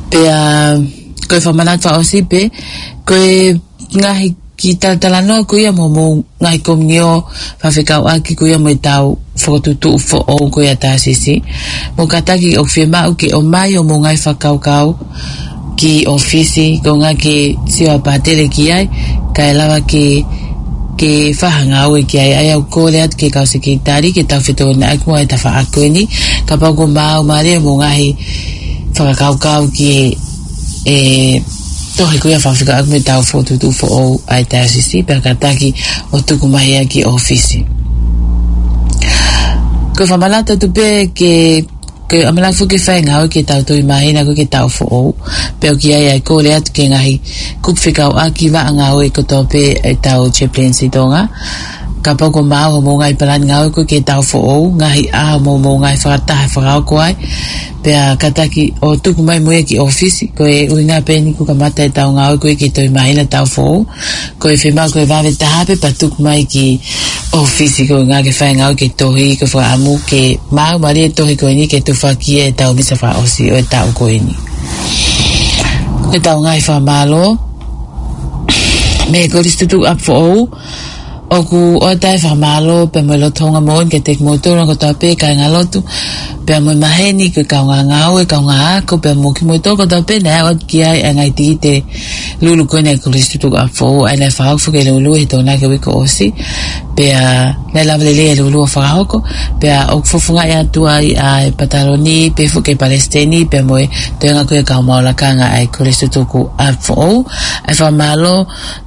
Pea ko e fakamanatu fakaʻosi pē, ko e ngaahi kiʻi talatalanoa ko ia mo hoʻomou ngaahi komiunio, fakafekauʻaki ko ia mo ʻetau fakatuʻutuʻu foʻou ko ia ʻa Tāsisi. Mou kātaki ʻoku fiemaʻu ke ʻomai hoʻomou ngaahi fakakaukau ki ʻōfisi, ko e ʻuhinga ke sio ʻa e pātele ki ai, kae lava ke ke fai ha ngāue ki ai, ʻa ia ʻoku kole atu ki he kau sekelitali ke tau fetōnaki mo e tafaʻaki ko eni, kapau kuo maau mālie hoʻomou ngaahi fakakaukau ki he tohi ko ia fakafekauʻaki mo e tau fokotuʻutuʻu foʻou ʻa e taiosisi, pea kātaki ʻo tuku mai ia ki ʻōfisi. Ko e fakamanatu atu pē ke, ke ʻamanaki foki ke fai ngāue ki he tau toʻu māhina ko ē ki he taʻu foʻou, pea ʻoku ʻi ai ʻa e kole atu ki he ngaahi kupu fekauʻaki, vaʻa ngāue kotoa pē ʻetau chaplaincy Tonga. Kapau kuo maau hoʻomou ngaahi palani ngāue ko ē ki he taʻu foʻou, ngaahi ʻaho mo hoʻomou ngaahi fakataha fakahoko ai, pea kātaki ʻo tuku mai mo ia ki ʻōfisi. Ko e ʻuhinga pē eni ʻoku kamata ʻetau ngāue ko ē ki he toʻu māhina taʻu foʻou, ko e fiemaʻu ko e vave taha pē pea tuku mai ki ʻōfisi, ko e ʻuhinga ke fai ngāue ki he tohi, ko e fakaʻamu ke maau mālie e tohi ko eni ke tufaki ʻetau misa fakaʻosi ʻo e taʻu ko eni. Ko ʻetau ngaahi fakamālō mei he Kolisi Tutuku ʻApifoʻou, ʻoku ʻoatu ʻa e fakamālō pea mo e loto houngaʻia moʻoni kiate kimoutolu kotoa pē kāingalotu, pea mo e maheni, ko e kaungā ngāue, kaungā ako, pea mo kimoutolu kotoa pē naʻe aʻu atu ki ai ʻa e ngaahi tikite lulu ko eni ʻa e Kolisi Tutuku ʻApifoʻou, ʻa ia naʻe fakahoko foki e lulu he Tokonaki uike kuo ʻosi, pea naʻe lava lelei e lulu ʻo fakahoko, pea ʻoku fofongaʻi atu ai ʻa e pataloni, pehē foki e palesiteni, pea mo e toenga ko ia e kau maʻu lakanga ʻa e Kolisi Tutuku ʻApifoʻou, ʻa e fakamālō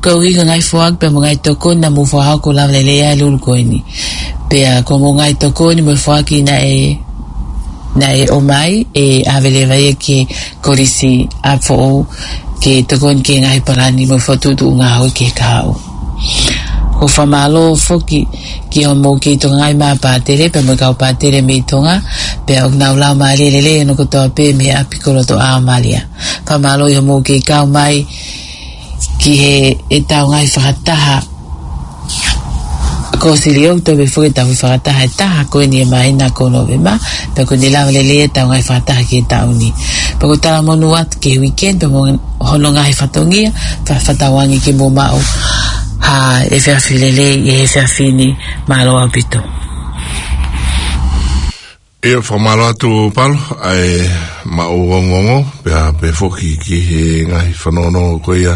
koeʻuhi ko e ngaahi foaki pea mo e ngaahi tokoni naʻa mou fakahoko ʻo lava lelei ai e lulu ko eni. Pea ko hoʻomou ngaahi tokoni mo e foaki naʻe, naʻe ʻomai ʻe ʻave leva ia ki he Kolisi ʻApifoʻou ke tokoni ki he ngaahi palani mo e fokotuʻutuʻu ngāue ki he kahaʻu. ʻOku fakamālō foki ki hoʻomou kei tokangaʻi mai ʻa e pātele pea mo e kau pātele mei Tonga, pea ʻoku nau lau mālie lelei hono kotoa pē mei he ʻapi ko Lotoʻā ʻo Malia. Fakamālō ʻi hoʻomou kei kau mai ki he, ʻetau ngaahi fakataha ko Siliou, toe pē foki ʻetau fakataha ʻe taha ko eni he māhina ko Nōvema, pea kuo ne lava lelei ʻetau ngaahi fakataha ki he taʻu ni. Pea ʻoku talamonū atu ki he weekend pea mo hono ngaahi fatongia, fa-, fakatauange ke mou maʻu ha efiafi lelei ʻi he efiafi ni. Mālō ʻaupito. ʻIo, fakamālō atu Palo, ʻa e maʻu ongoongo, pea pehē foki ki he ngaahi fanongo ko ia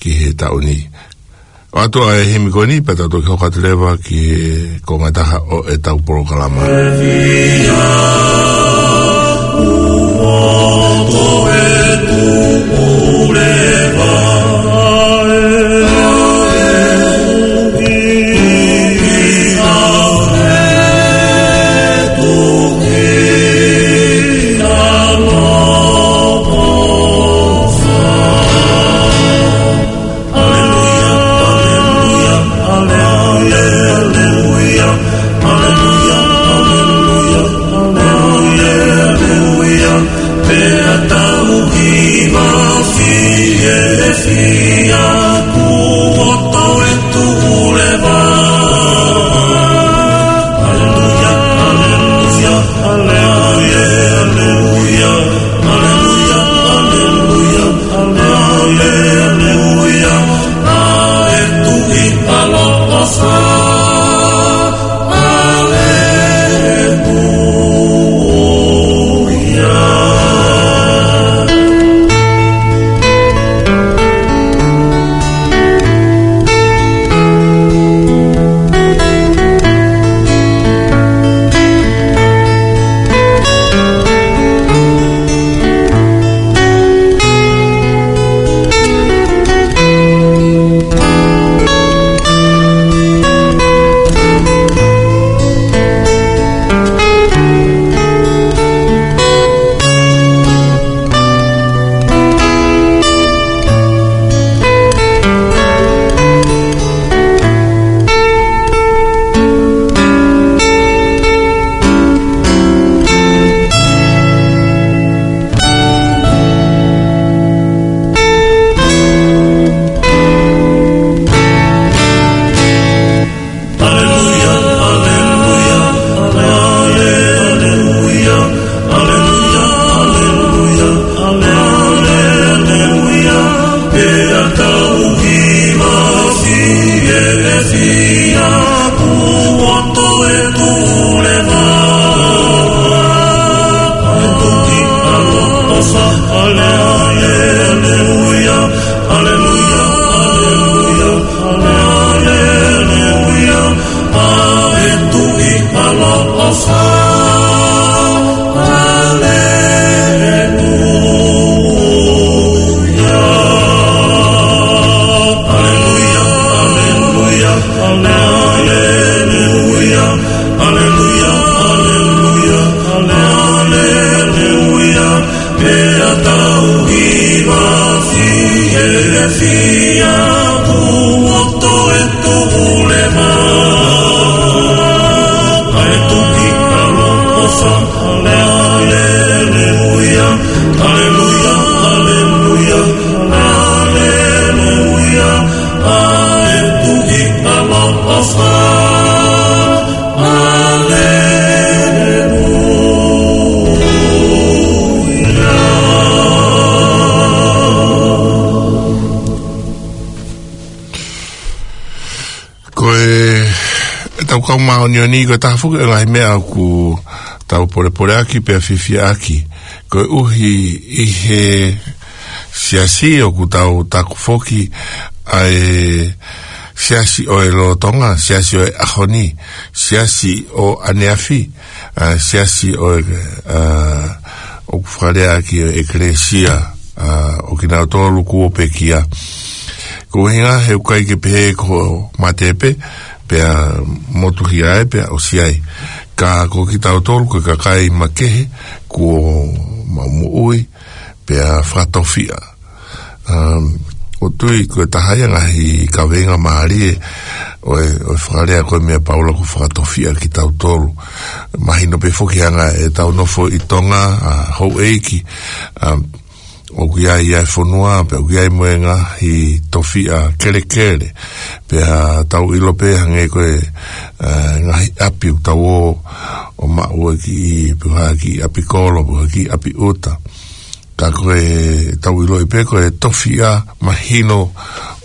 ki he taʻu ni. ʻOatu ʻa e himi ko eni, pea tau toki hoko atu leva ki he konga ʻe taha ʻo ʻetau polokalama. Fia kuo toe tuʻu leva ʻa e tuki ʻaloʻofa. Haleluia, haleluia, haleluia, haleluia. ʻA e tuki ʻaloʻofa. Haleluia. Ko e, ʻetau kau māʻoniʻoni, ko e taha foki ʻo e ngaahi meʻa ʻoku tau polepoleʻaki pea fiefiaʻaki. Koeʻuhi ʻi he siasi ʻoku tau taku foki ʻa e siasi ʻo e lolotonga, siasi ʻo e ʻaho ni, siasi ʻo ʻaneafi, ʻa e siasi ʻo e, ʻa, ʻoku fakalea ʻaki ʻo e ʻekelesia, ʻa, ʻo kinautolu kuo pekia. Ko e ʻuhinga he ʻoku ʻikai ke pehē ko e mate pē, pea motuhia ai, pea ʻosi ai. Ka ko kitautolu, ko e kakai makehe, kuo maʻu moʻui, pea fakatofiʻa. Um, ʻoku ou tui ko e taha ia e ngaahi kaveinga mālie ʻo e, ʻo e fakalea ko ē meia Paula ko e fakatofiʻa kitautolu. Mahino pē foki anga ʻetau nofo ʻi Tonga, ʻa, houʻeiki, um, ʻoku ʻi ai ʻa e fonua, pea ʻoku ʻi ai mo e ngaahi tofiʻa kelekele. Pea tau ʻilo pē hangē ko e, ʻa, ngaahi ʻapi ʻoku tau ō ʻo maʻu ʻaki, pē ha kiʻi ʻapi kolo, pē ha kiʻi ʻapi ʻuta. Ka ko e tau ʻiloʻi pē ko e tofiʻa mahino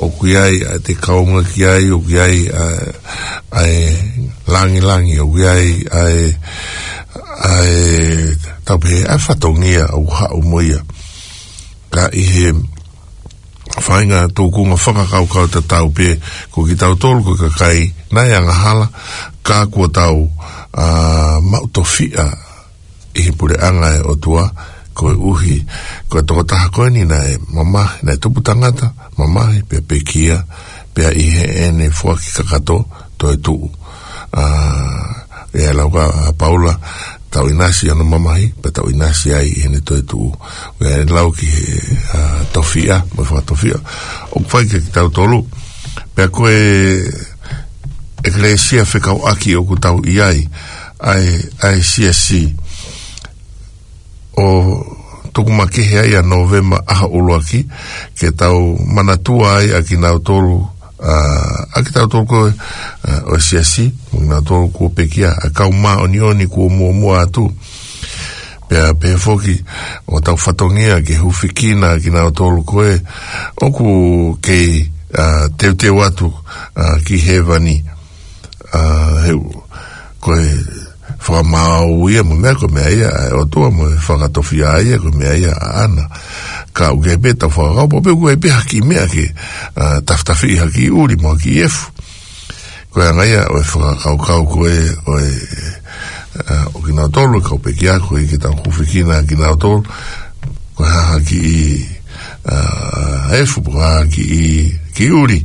ʻoku ʻi ai ʻa e kaunga ki ai, ʻoku ʻi ai ʻa, ʻa e langilangi, ʻoku ʻi ai ʻa e, ʻa e tau pehē ʻa e fatongia ʻoku haʻu mo ia. Ka ʻi he faʻahinga tūkunga fakakaukau tatau pē, ko kitautolu ko e kakai naʻe angahala, ka kuo tau, ʻa, maʻu tofiʻa ʻi he puleʻanga ʻo e ʻOtua, koeʻuhi ko e tokotaha ko eni naʻe mamahi, naʻe tupu tangata, mamahi, pea pekia, pea ʻi heʻene foaki kakato, toe tuʻu. ʻA, ʻe lau ʻa Paula, tau ʻinasi ʻi hono mamahi, pea tau ʻinasi ai ʻi heʻene toe tuʻu. ʻE lau ki he, ʻa, tofiʻa, mo e fakatofiʻa. ʻOku fai kiate kitautolu, pea ko e ʻekelesia fekauʻaki ʻoku tau ʻi ai, ʻa e, ʻa e siasi ʻo tuku makehe ai ʻa Nōvema ʻaho ʻuluaki, ke tau manatua ai ʻa kinautolu, ʻa, ʻa kitautolu ko ē, ʻa, ʻo e siasi, mo kinautolu kuo pekia, ʻa e kau māʻoniʻoni kuo muʻomuʻa atu. Pea pehē foki ʻo tau fatongia ke hūfekina ʻa kinautolu ko ē ʻoku kei, ʻa, teuteu atu, ʻa, ki hēvani. ʻA, he ʻoku, ko e fakamaau ia mo e meʻa, ko e meʻa ia ʻa e ʻOtua mo e fakatofiʻa ia, ko e meʻa ia ʻaʻana. Ka ʻoku ʻi ai pē ʻetau fakakaukau, pea ʻoku ʻi ai pē ha kiʻi meʻa ke, ʻa, tafitafiʻi ha kiʻi ʻuli mo ha kiʻi efu. Ko e anga ia ʻo e fakakaukau ko ē, ʻo e, ʻa, ʻo kinautolu, kau pekia ko ē ke tau hūfekina kinautolu, ko e hā ha kiʻi, ʻa, efu, ko e hā ha kiʻi, kiʻi ʻuli.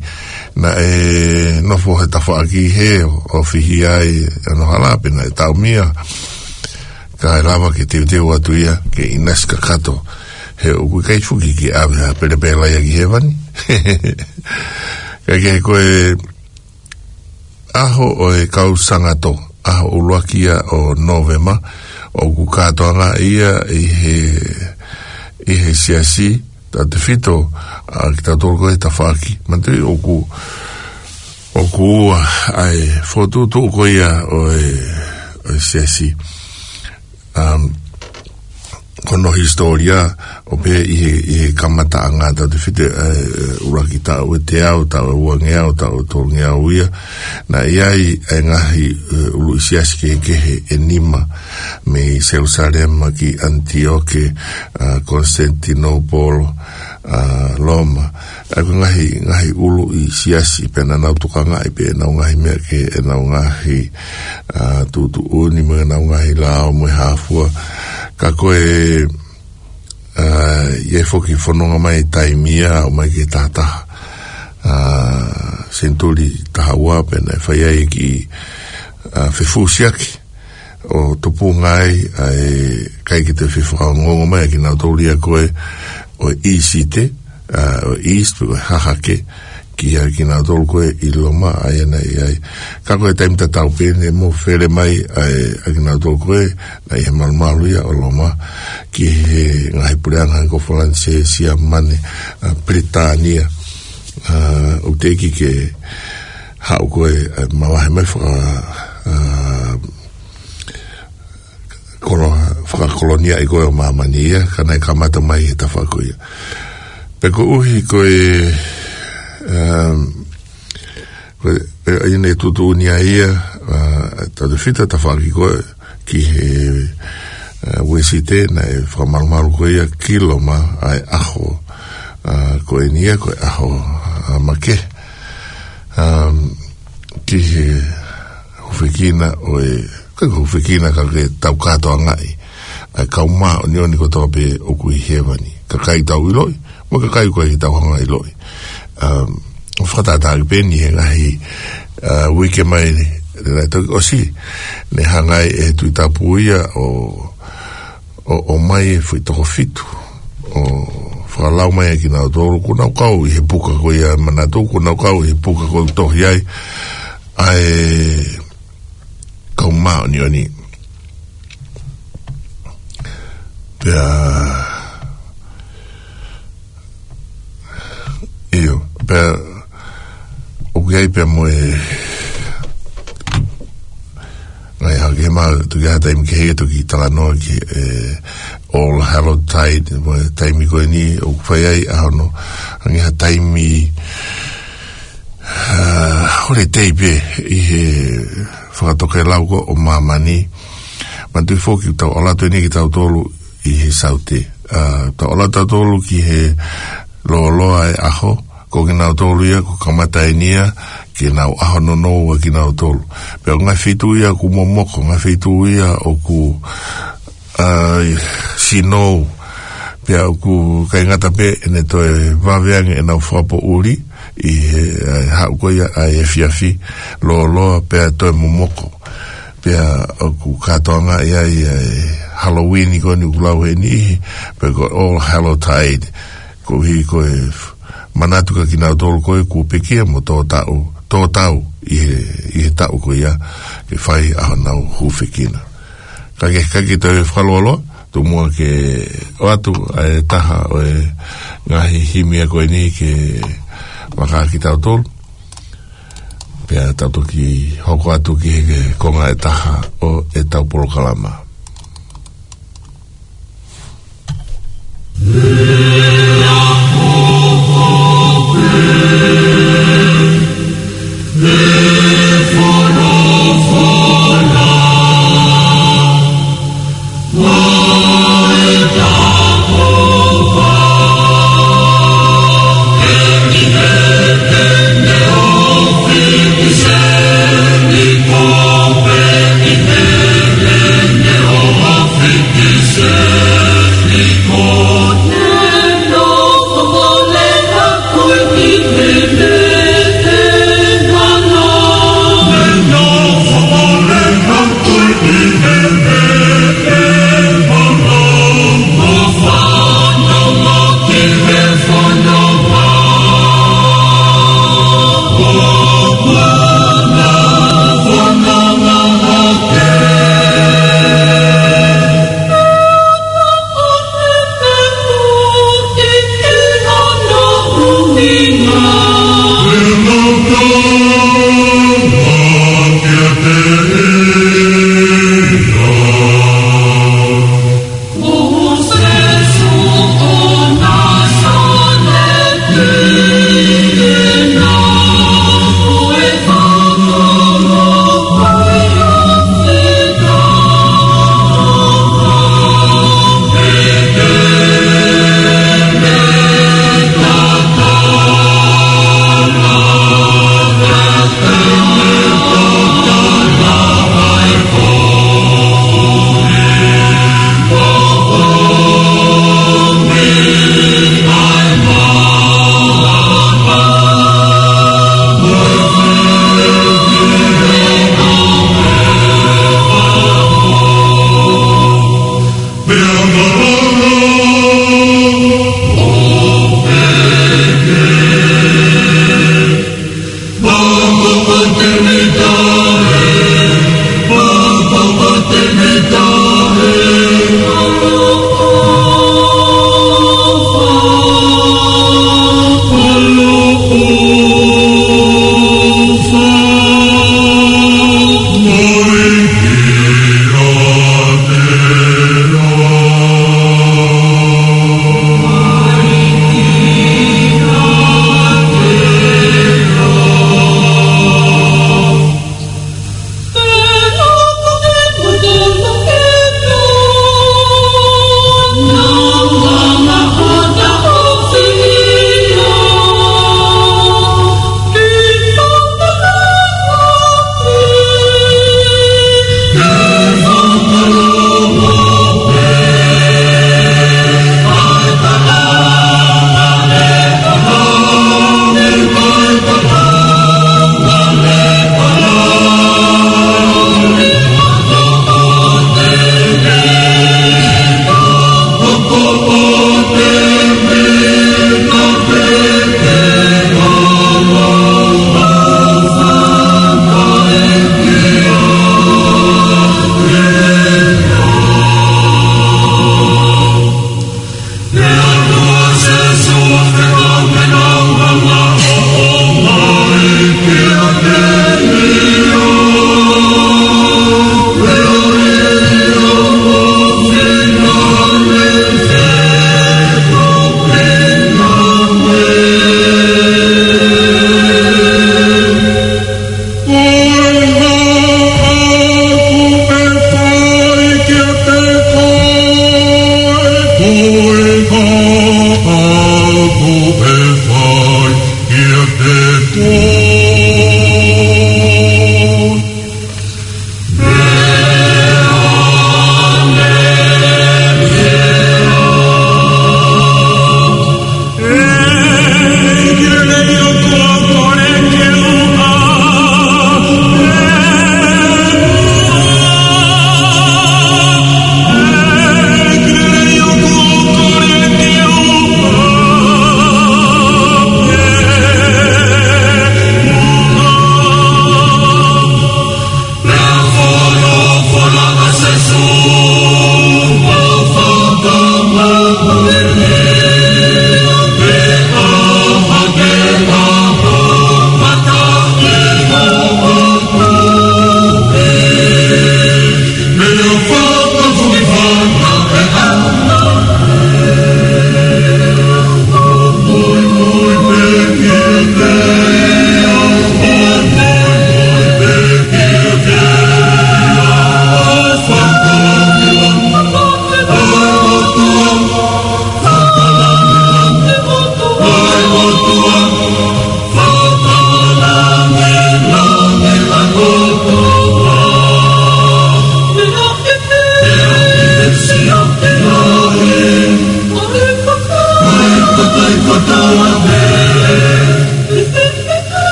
Naʻe nofo he tafaʻaki hē ʻo, ʻo fihi ai ʻa e hala pea naʻe taumia. Kae lava ke teuteu atu ia ke ʻinasi kakato. He ʻoku ʻikai foki ke ʻave ha pelepela ia ki hēvani. Kae kehe ko e ʻaho ʻo e kau sangato, ʻaho ʻuluaki ia ʻo Nōvema, ʻoku kātoanga ia ʻi he, ʻi he siasi, tautefito, ʻa, kitautolu ko ē he tafaʻaki. Manatuʻi ʻoku, ʻoku ua ʻa e fokotuʻutuʻu ko ia ʻo e, ʻo e siasi. Um, ko hono hisitōlia, ʻo pehē ʻi he, ʻi he kamataʻanga tautefito, ʻa e, ʻuluaki taʻu ʻe teau, taʻu ʻe uangeau, taʻu ʻe tolungeau ia, naʻe ʻi ai ʻa e ngaahi, ʻe, ʻuluʻi siasi kehekehe ʻe nima, mei Selusalema ki ʻAnitioke, ʻa, Konisitanitinoupolo, ʻa, Loma. ʻA ia ko e ngaahi, ngaahi ʻuluʻi siasi pea naʻa nau tokangaʻi pē ʻenau ngaahi meʻa kehe, ʻenau ngaahi, ʻa, tuʻutuʻuni mo ʻenau ngaahi lao mo e hā fua. Ka ko e, ʻa, ʻi ai foki e fononga mai taimi ia, ʻo mai ki he tahataha, ʻa, senituli taha ua pea naʻe fai ai e kiʻi, ʻa, fefusiaki ʻo tupunga ai ʻa e kakai ke toe fefakangongo mai ʻa kinautolu ia ko ē ʻo e ʻIsite, ʻa, ʻo e East, pe ko e hahake, ki he kinautolu ko ē ʻi Loma, ʻa ia naʻe ʻi ai. Ka ko e taimi tatau pē ne mou fele mai, ʻa e, ʻa kinautolu ko ē, naʻe ʻi he malumalu ia ʻo Loma, ki he ngaahi puleʻanga ko Falanisē, Siamane, ʻa, Pilitānia, ʻa, ʻo teʻeki ke haʻu ko ē, ʻa, mavahe mai faka-, ʻa, kolo-, fakakolonia ʻi ko ē ʻo māmani ia, ka naʻe kamata mai he tafaʻaki ko ia. Pea koeʻuhi ko e, um, ko e, ʻa ia ne tuʻutuʻuni ai ia, ʻa, tautefito tafaʻaki ko ē ki he, ʻa, Uēsite naʻe fakamalumalu ko ia ki Loma ʻa e ʻaho, ʻa, ko eni ia ko e ʻaho, ʻa, makehe. Um, ki he hūfekina ʻo e, ka ko e hūfekina ka ke tau kātoangaʻi ʻa e kau māʻoniʻoni kotoa pē ʻoku ʻi hēvani. Kakai tau ʻiloʻi, mo e kakai ʻoku ʻikai ke tau hanga ʻiloʻi. Um, fakatātā ki pē eni he ngaahi, ʻa, uike mai ni, naʻe toki ʻosi, ne hanga ai ʻe he Tuʻi Tapu ia ʻo ʻo, ʻomai e foʻi toko fitu, ʻo fakalau mai ʻa kinautolu, kuo nau kau ʻi he puka ko ia manatu, kuo nau kau ʻi he puka ko ē tohi ai, ʻa e kau māʻoniʻoni. Pea, ʻio, pea, ʻoku ʻi ai pea mo e, ʻa ia, ke ma, toki ʻi ai ha taimi kehe toki talanoa ki he, ʻe, All Hallow Tide, mo e taimi ko eni, ʻoku fai ai ʻa hono, hangē ha taimi, ʻa, holiday pē, ʻi he fakatokelau ko ē ʻo māmani, manatuʻi foki tau ʻalu atu eni kitautolu ʻi he Saute. ʻA, tau ʻalu atu tautolu ki he lōloa e ʻaho, ko kinautolu ia, ko e kamata eni ia, ke nau ʻaho nounou ʻa kinautolu. Pea ko e ngaahi feituʻu ia ʻoku momoko, ngaahi feituʻu ia ʻoku, ʻa, snow, pea ʻoku ʻikai ngata pē ʻene toe vave ange ʻenau fakapoʻuli, ʻi he, ʻa, haʻu ko ia ʻa e efiafi, lōloa pea toe momoko. Pea ʻoku kātoangaʻi ai ʻa e Halloween ko eni ʻoku lau he niʻihi, pe ko e All Hallow Tide, koeʻuhi ko e f-, manatu kia kinautolu ko ē kuo pekia mo tō tau, tō tau ʻi he, ʻi he taʻu ko ia, ke fai ʻa honau hūfekina. Ka ke, ka ke toe fakalōloa, tomuʻa ke ʻoatu ʻa e taha ʻo e ngaahi himi ko eni ke maka kitautolu. Pea tau toki hoko atu ki he konga ʻe taha ʻo ʻetau polokalama.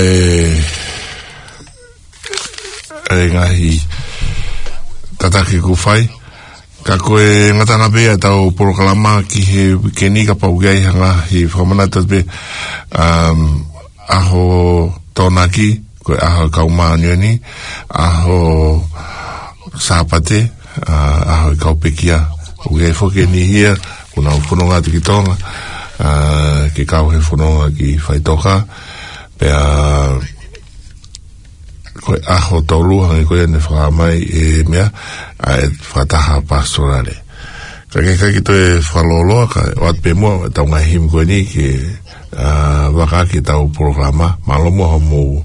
e, e ngaahi tataki kuo fai. Ka ko e ngataʻanga pē ʻetau polokalama ki he uike ni, kapau ʻoku ʻi ai ha ngaahi fakamanatu pē, um, ʻaho Tokonaki, ko e ʻaho e kau māʻoniʻoni, ʻaho Sāpate, ʻa, ʻaho e kau pekia. ʻOku ʻi ai foki e niʻihi ia ʻoku nau fononga atu ki Tonga, ʻa, ke kau he fononga ki faʻitoka. Pea ko e ʻaho tolu hangē ko ia ne fakahā mai e meʻa, ʻa e fakataha pastorale. Ka ke ʻikai ke toe fakalōloa, kae ʻoatu pē muʻa ʻetau ngaahi himi ko eni ke, ʻa, vaka ʻaki ʻetau polokalama. Mālō muʻa hoʻomou,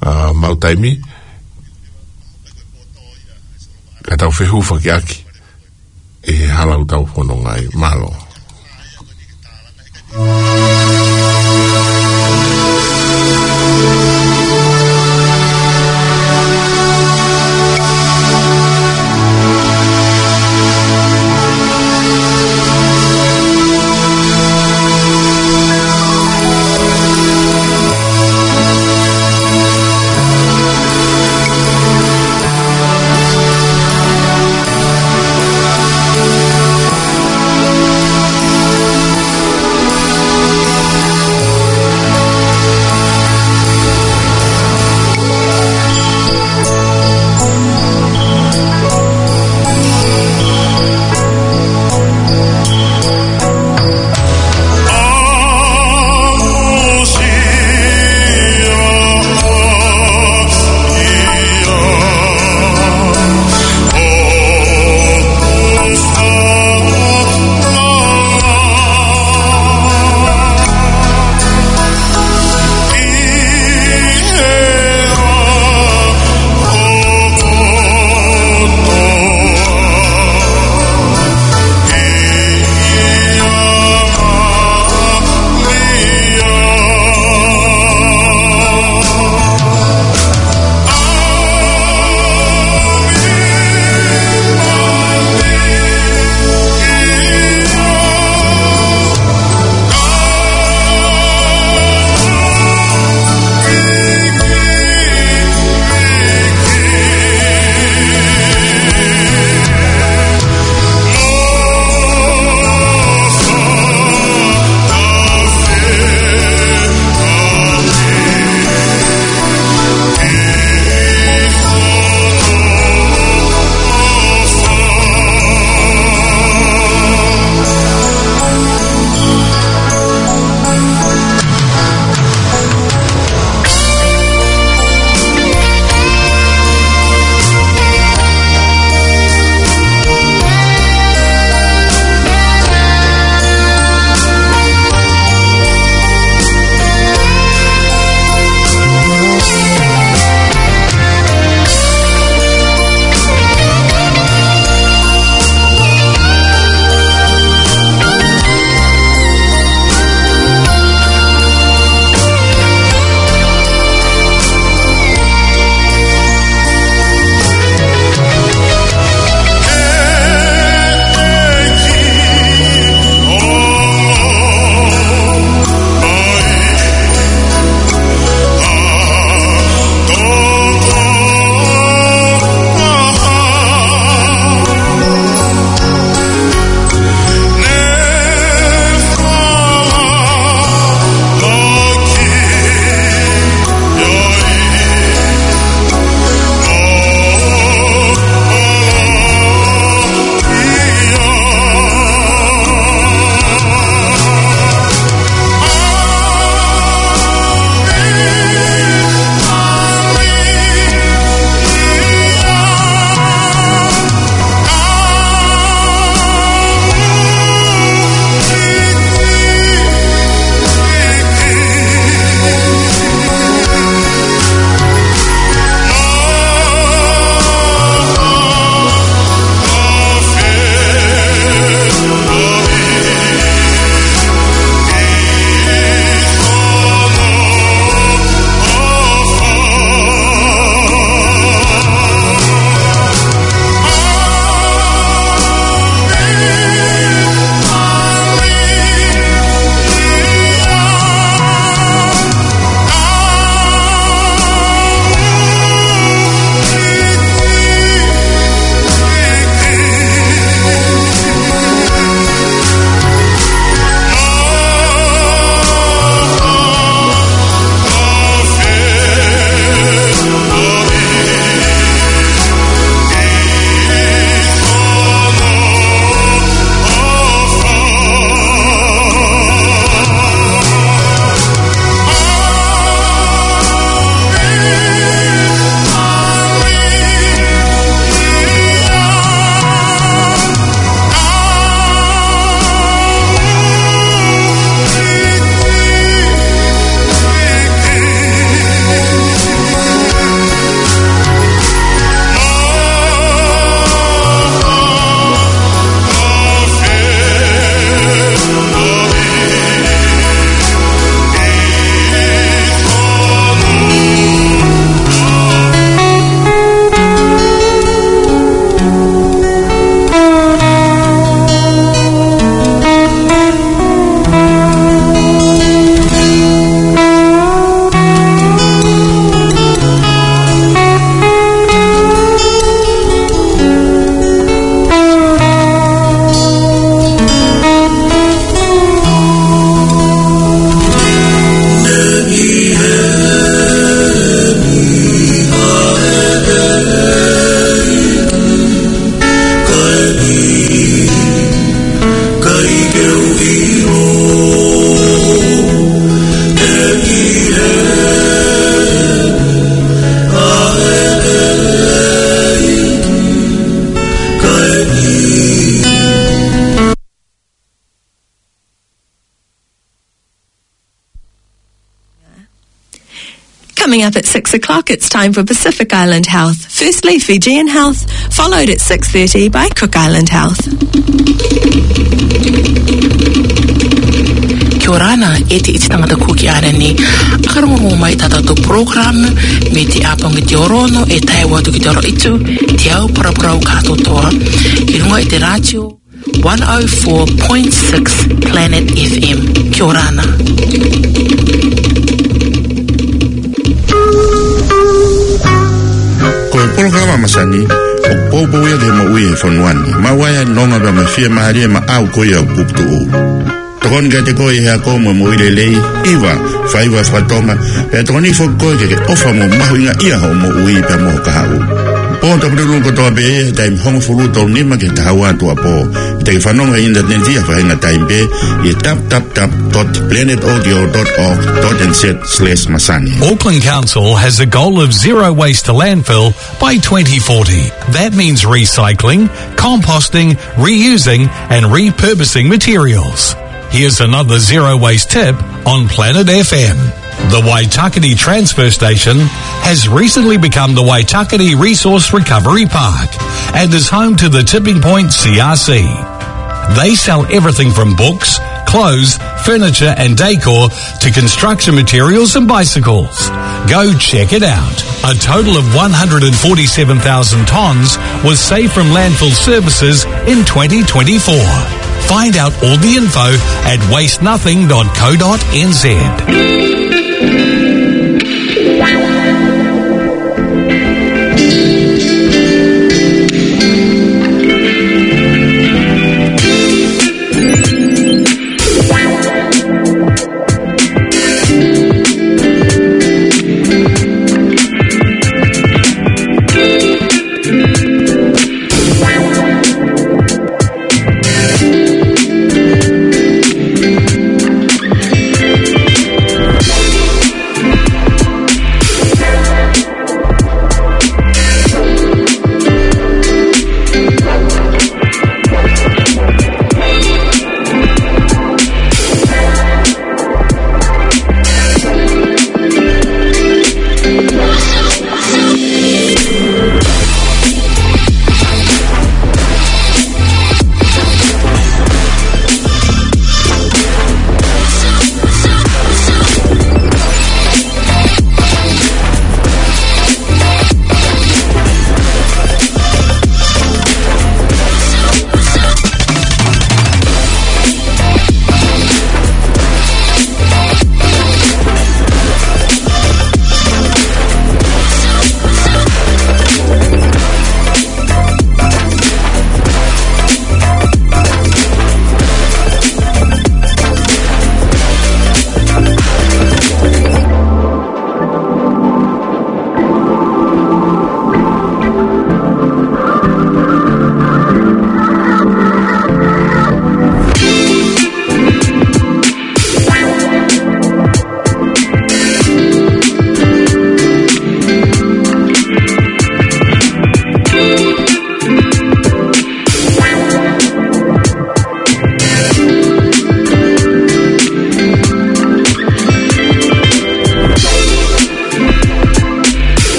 ʻa, maʻu taimi kae tau fehufakiʻaki ʻi he hala ʻoku tau fononga ai. Mālō. At six o'clock, it's time for Pacific Island Health. Firstly, Fijian Health, followed at six thirty by Cook Island Health. Kia ora na, ʻe te iti tangata Kuki ʻaneni. ʻAkarongo mai ʻetau program, mei te ʻapongi ki te orono, ʻe tae atu ki te oroʻitu, te au paraparau kātoa. ʻI runga ʻi te rātio, one oh four point six Planet F M. Kia ora na. Ko e polokalama masani, ʻoku poupou ia ki he moʻui he fonua ni. Maʻu ai ʻa e nonga pea mo e fiemālie maʻau ko ia ʻoku puputuʻu. Tokoni kiate koe ʻi he ako mo e moʻui lelei, ʻi he faiva fakatonga, pea tokoni foki koe ke ke ʻofa mo mahuʻingaʻia hoʻo moʻui pea mo ho kahaʻu. Pō tapu lulu kotoa pē he taimi hongofulu tolu nima ki he taha ua tuʻuapō. Te ke fanongo he ʻinitaneti ʻi ha faʻahinga taimi pē ʻi he w w w dot planet audio dot org dot n z slash masani. Auckland Council has a goal of zero waste to landfill by twenty forty. That means recycling, composting, reusing and repurposing materials. Here's another zero waste tip on Planet F M. The Waitakere Transfer Station has recently become the Waitakere Resource Recovery Park and is home to the Tipping Point C R C. They sell everything from books, clothes, furniture and decor to construction materials and bicycles. Go check it out. A total of one hundred and forty-seven thousand tonnes was saved from landfill services in twenty twenty-four. Find out all the info at waste nothing dot co dot n z.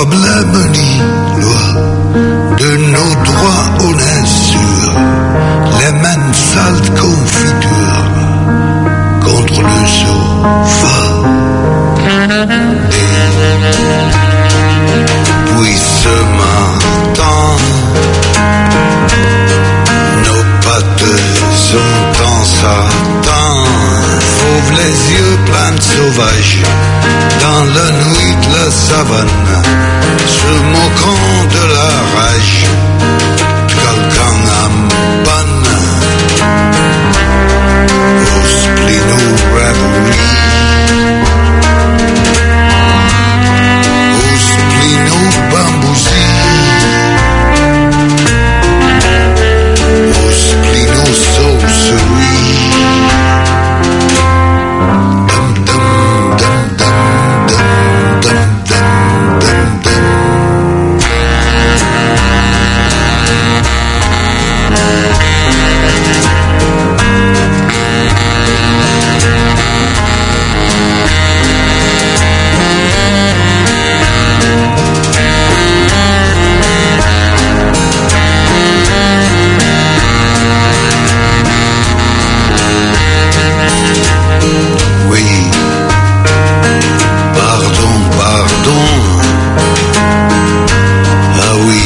Problème ni loi, de nos droits on est sûr, les mêmes sales confitures contre le sofa. Et puis ce matin, nos pattes ont en satin, fauve les yeux pleins de sauvage, dans la nuit de la savane, se moquant de la rage de quelqu'un en panne. Au Splino Reverie, au Splino Bambousi, au Splino Sorcery. Dum, dum, dum, dum, dum, dum. Oui. Pardon, pardon. Ah oui.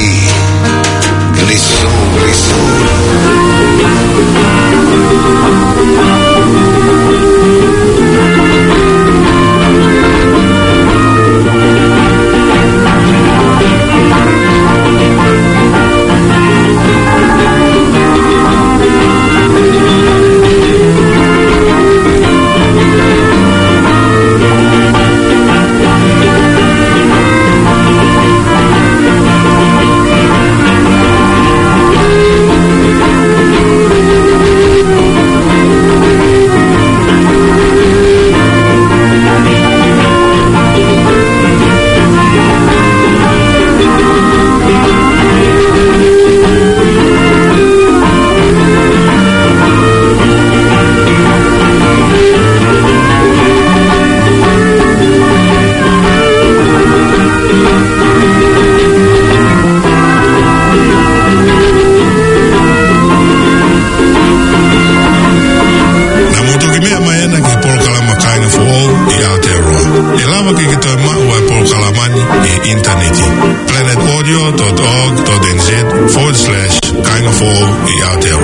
Glissons, glissons. Naʻa mou toki meʻa mai ena ki he polokalama Kāinga Foʻou ʻi Aotearoa. ʻE lava ke ke toe maʻu ʻa e polokalama ni ʻi he ʻinitaneti. planet audio dot org dot N Z forward slash Kāinga Foʻou ʻi Aotearoa.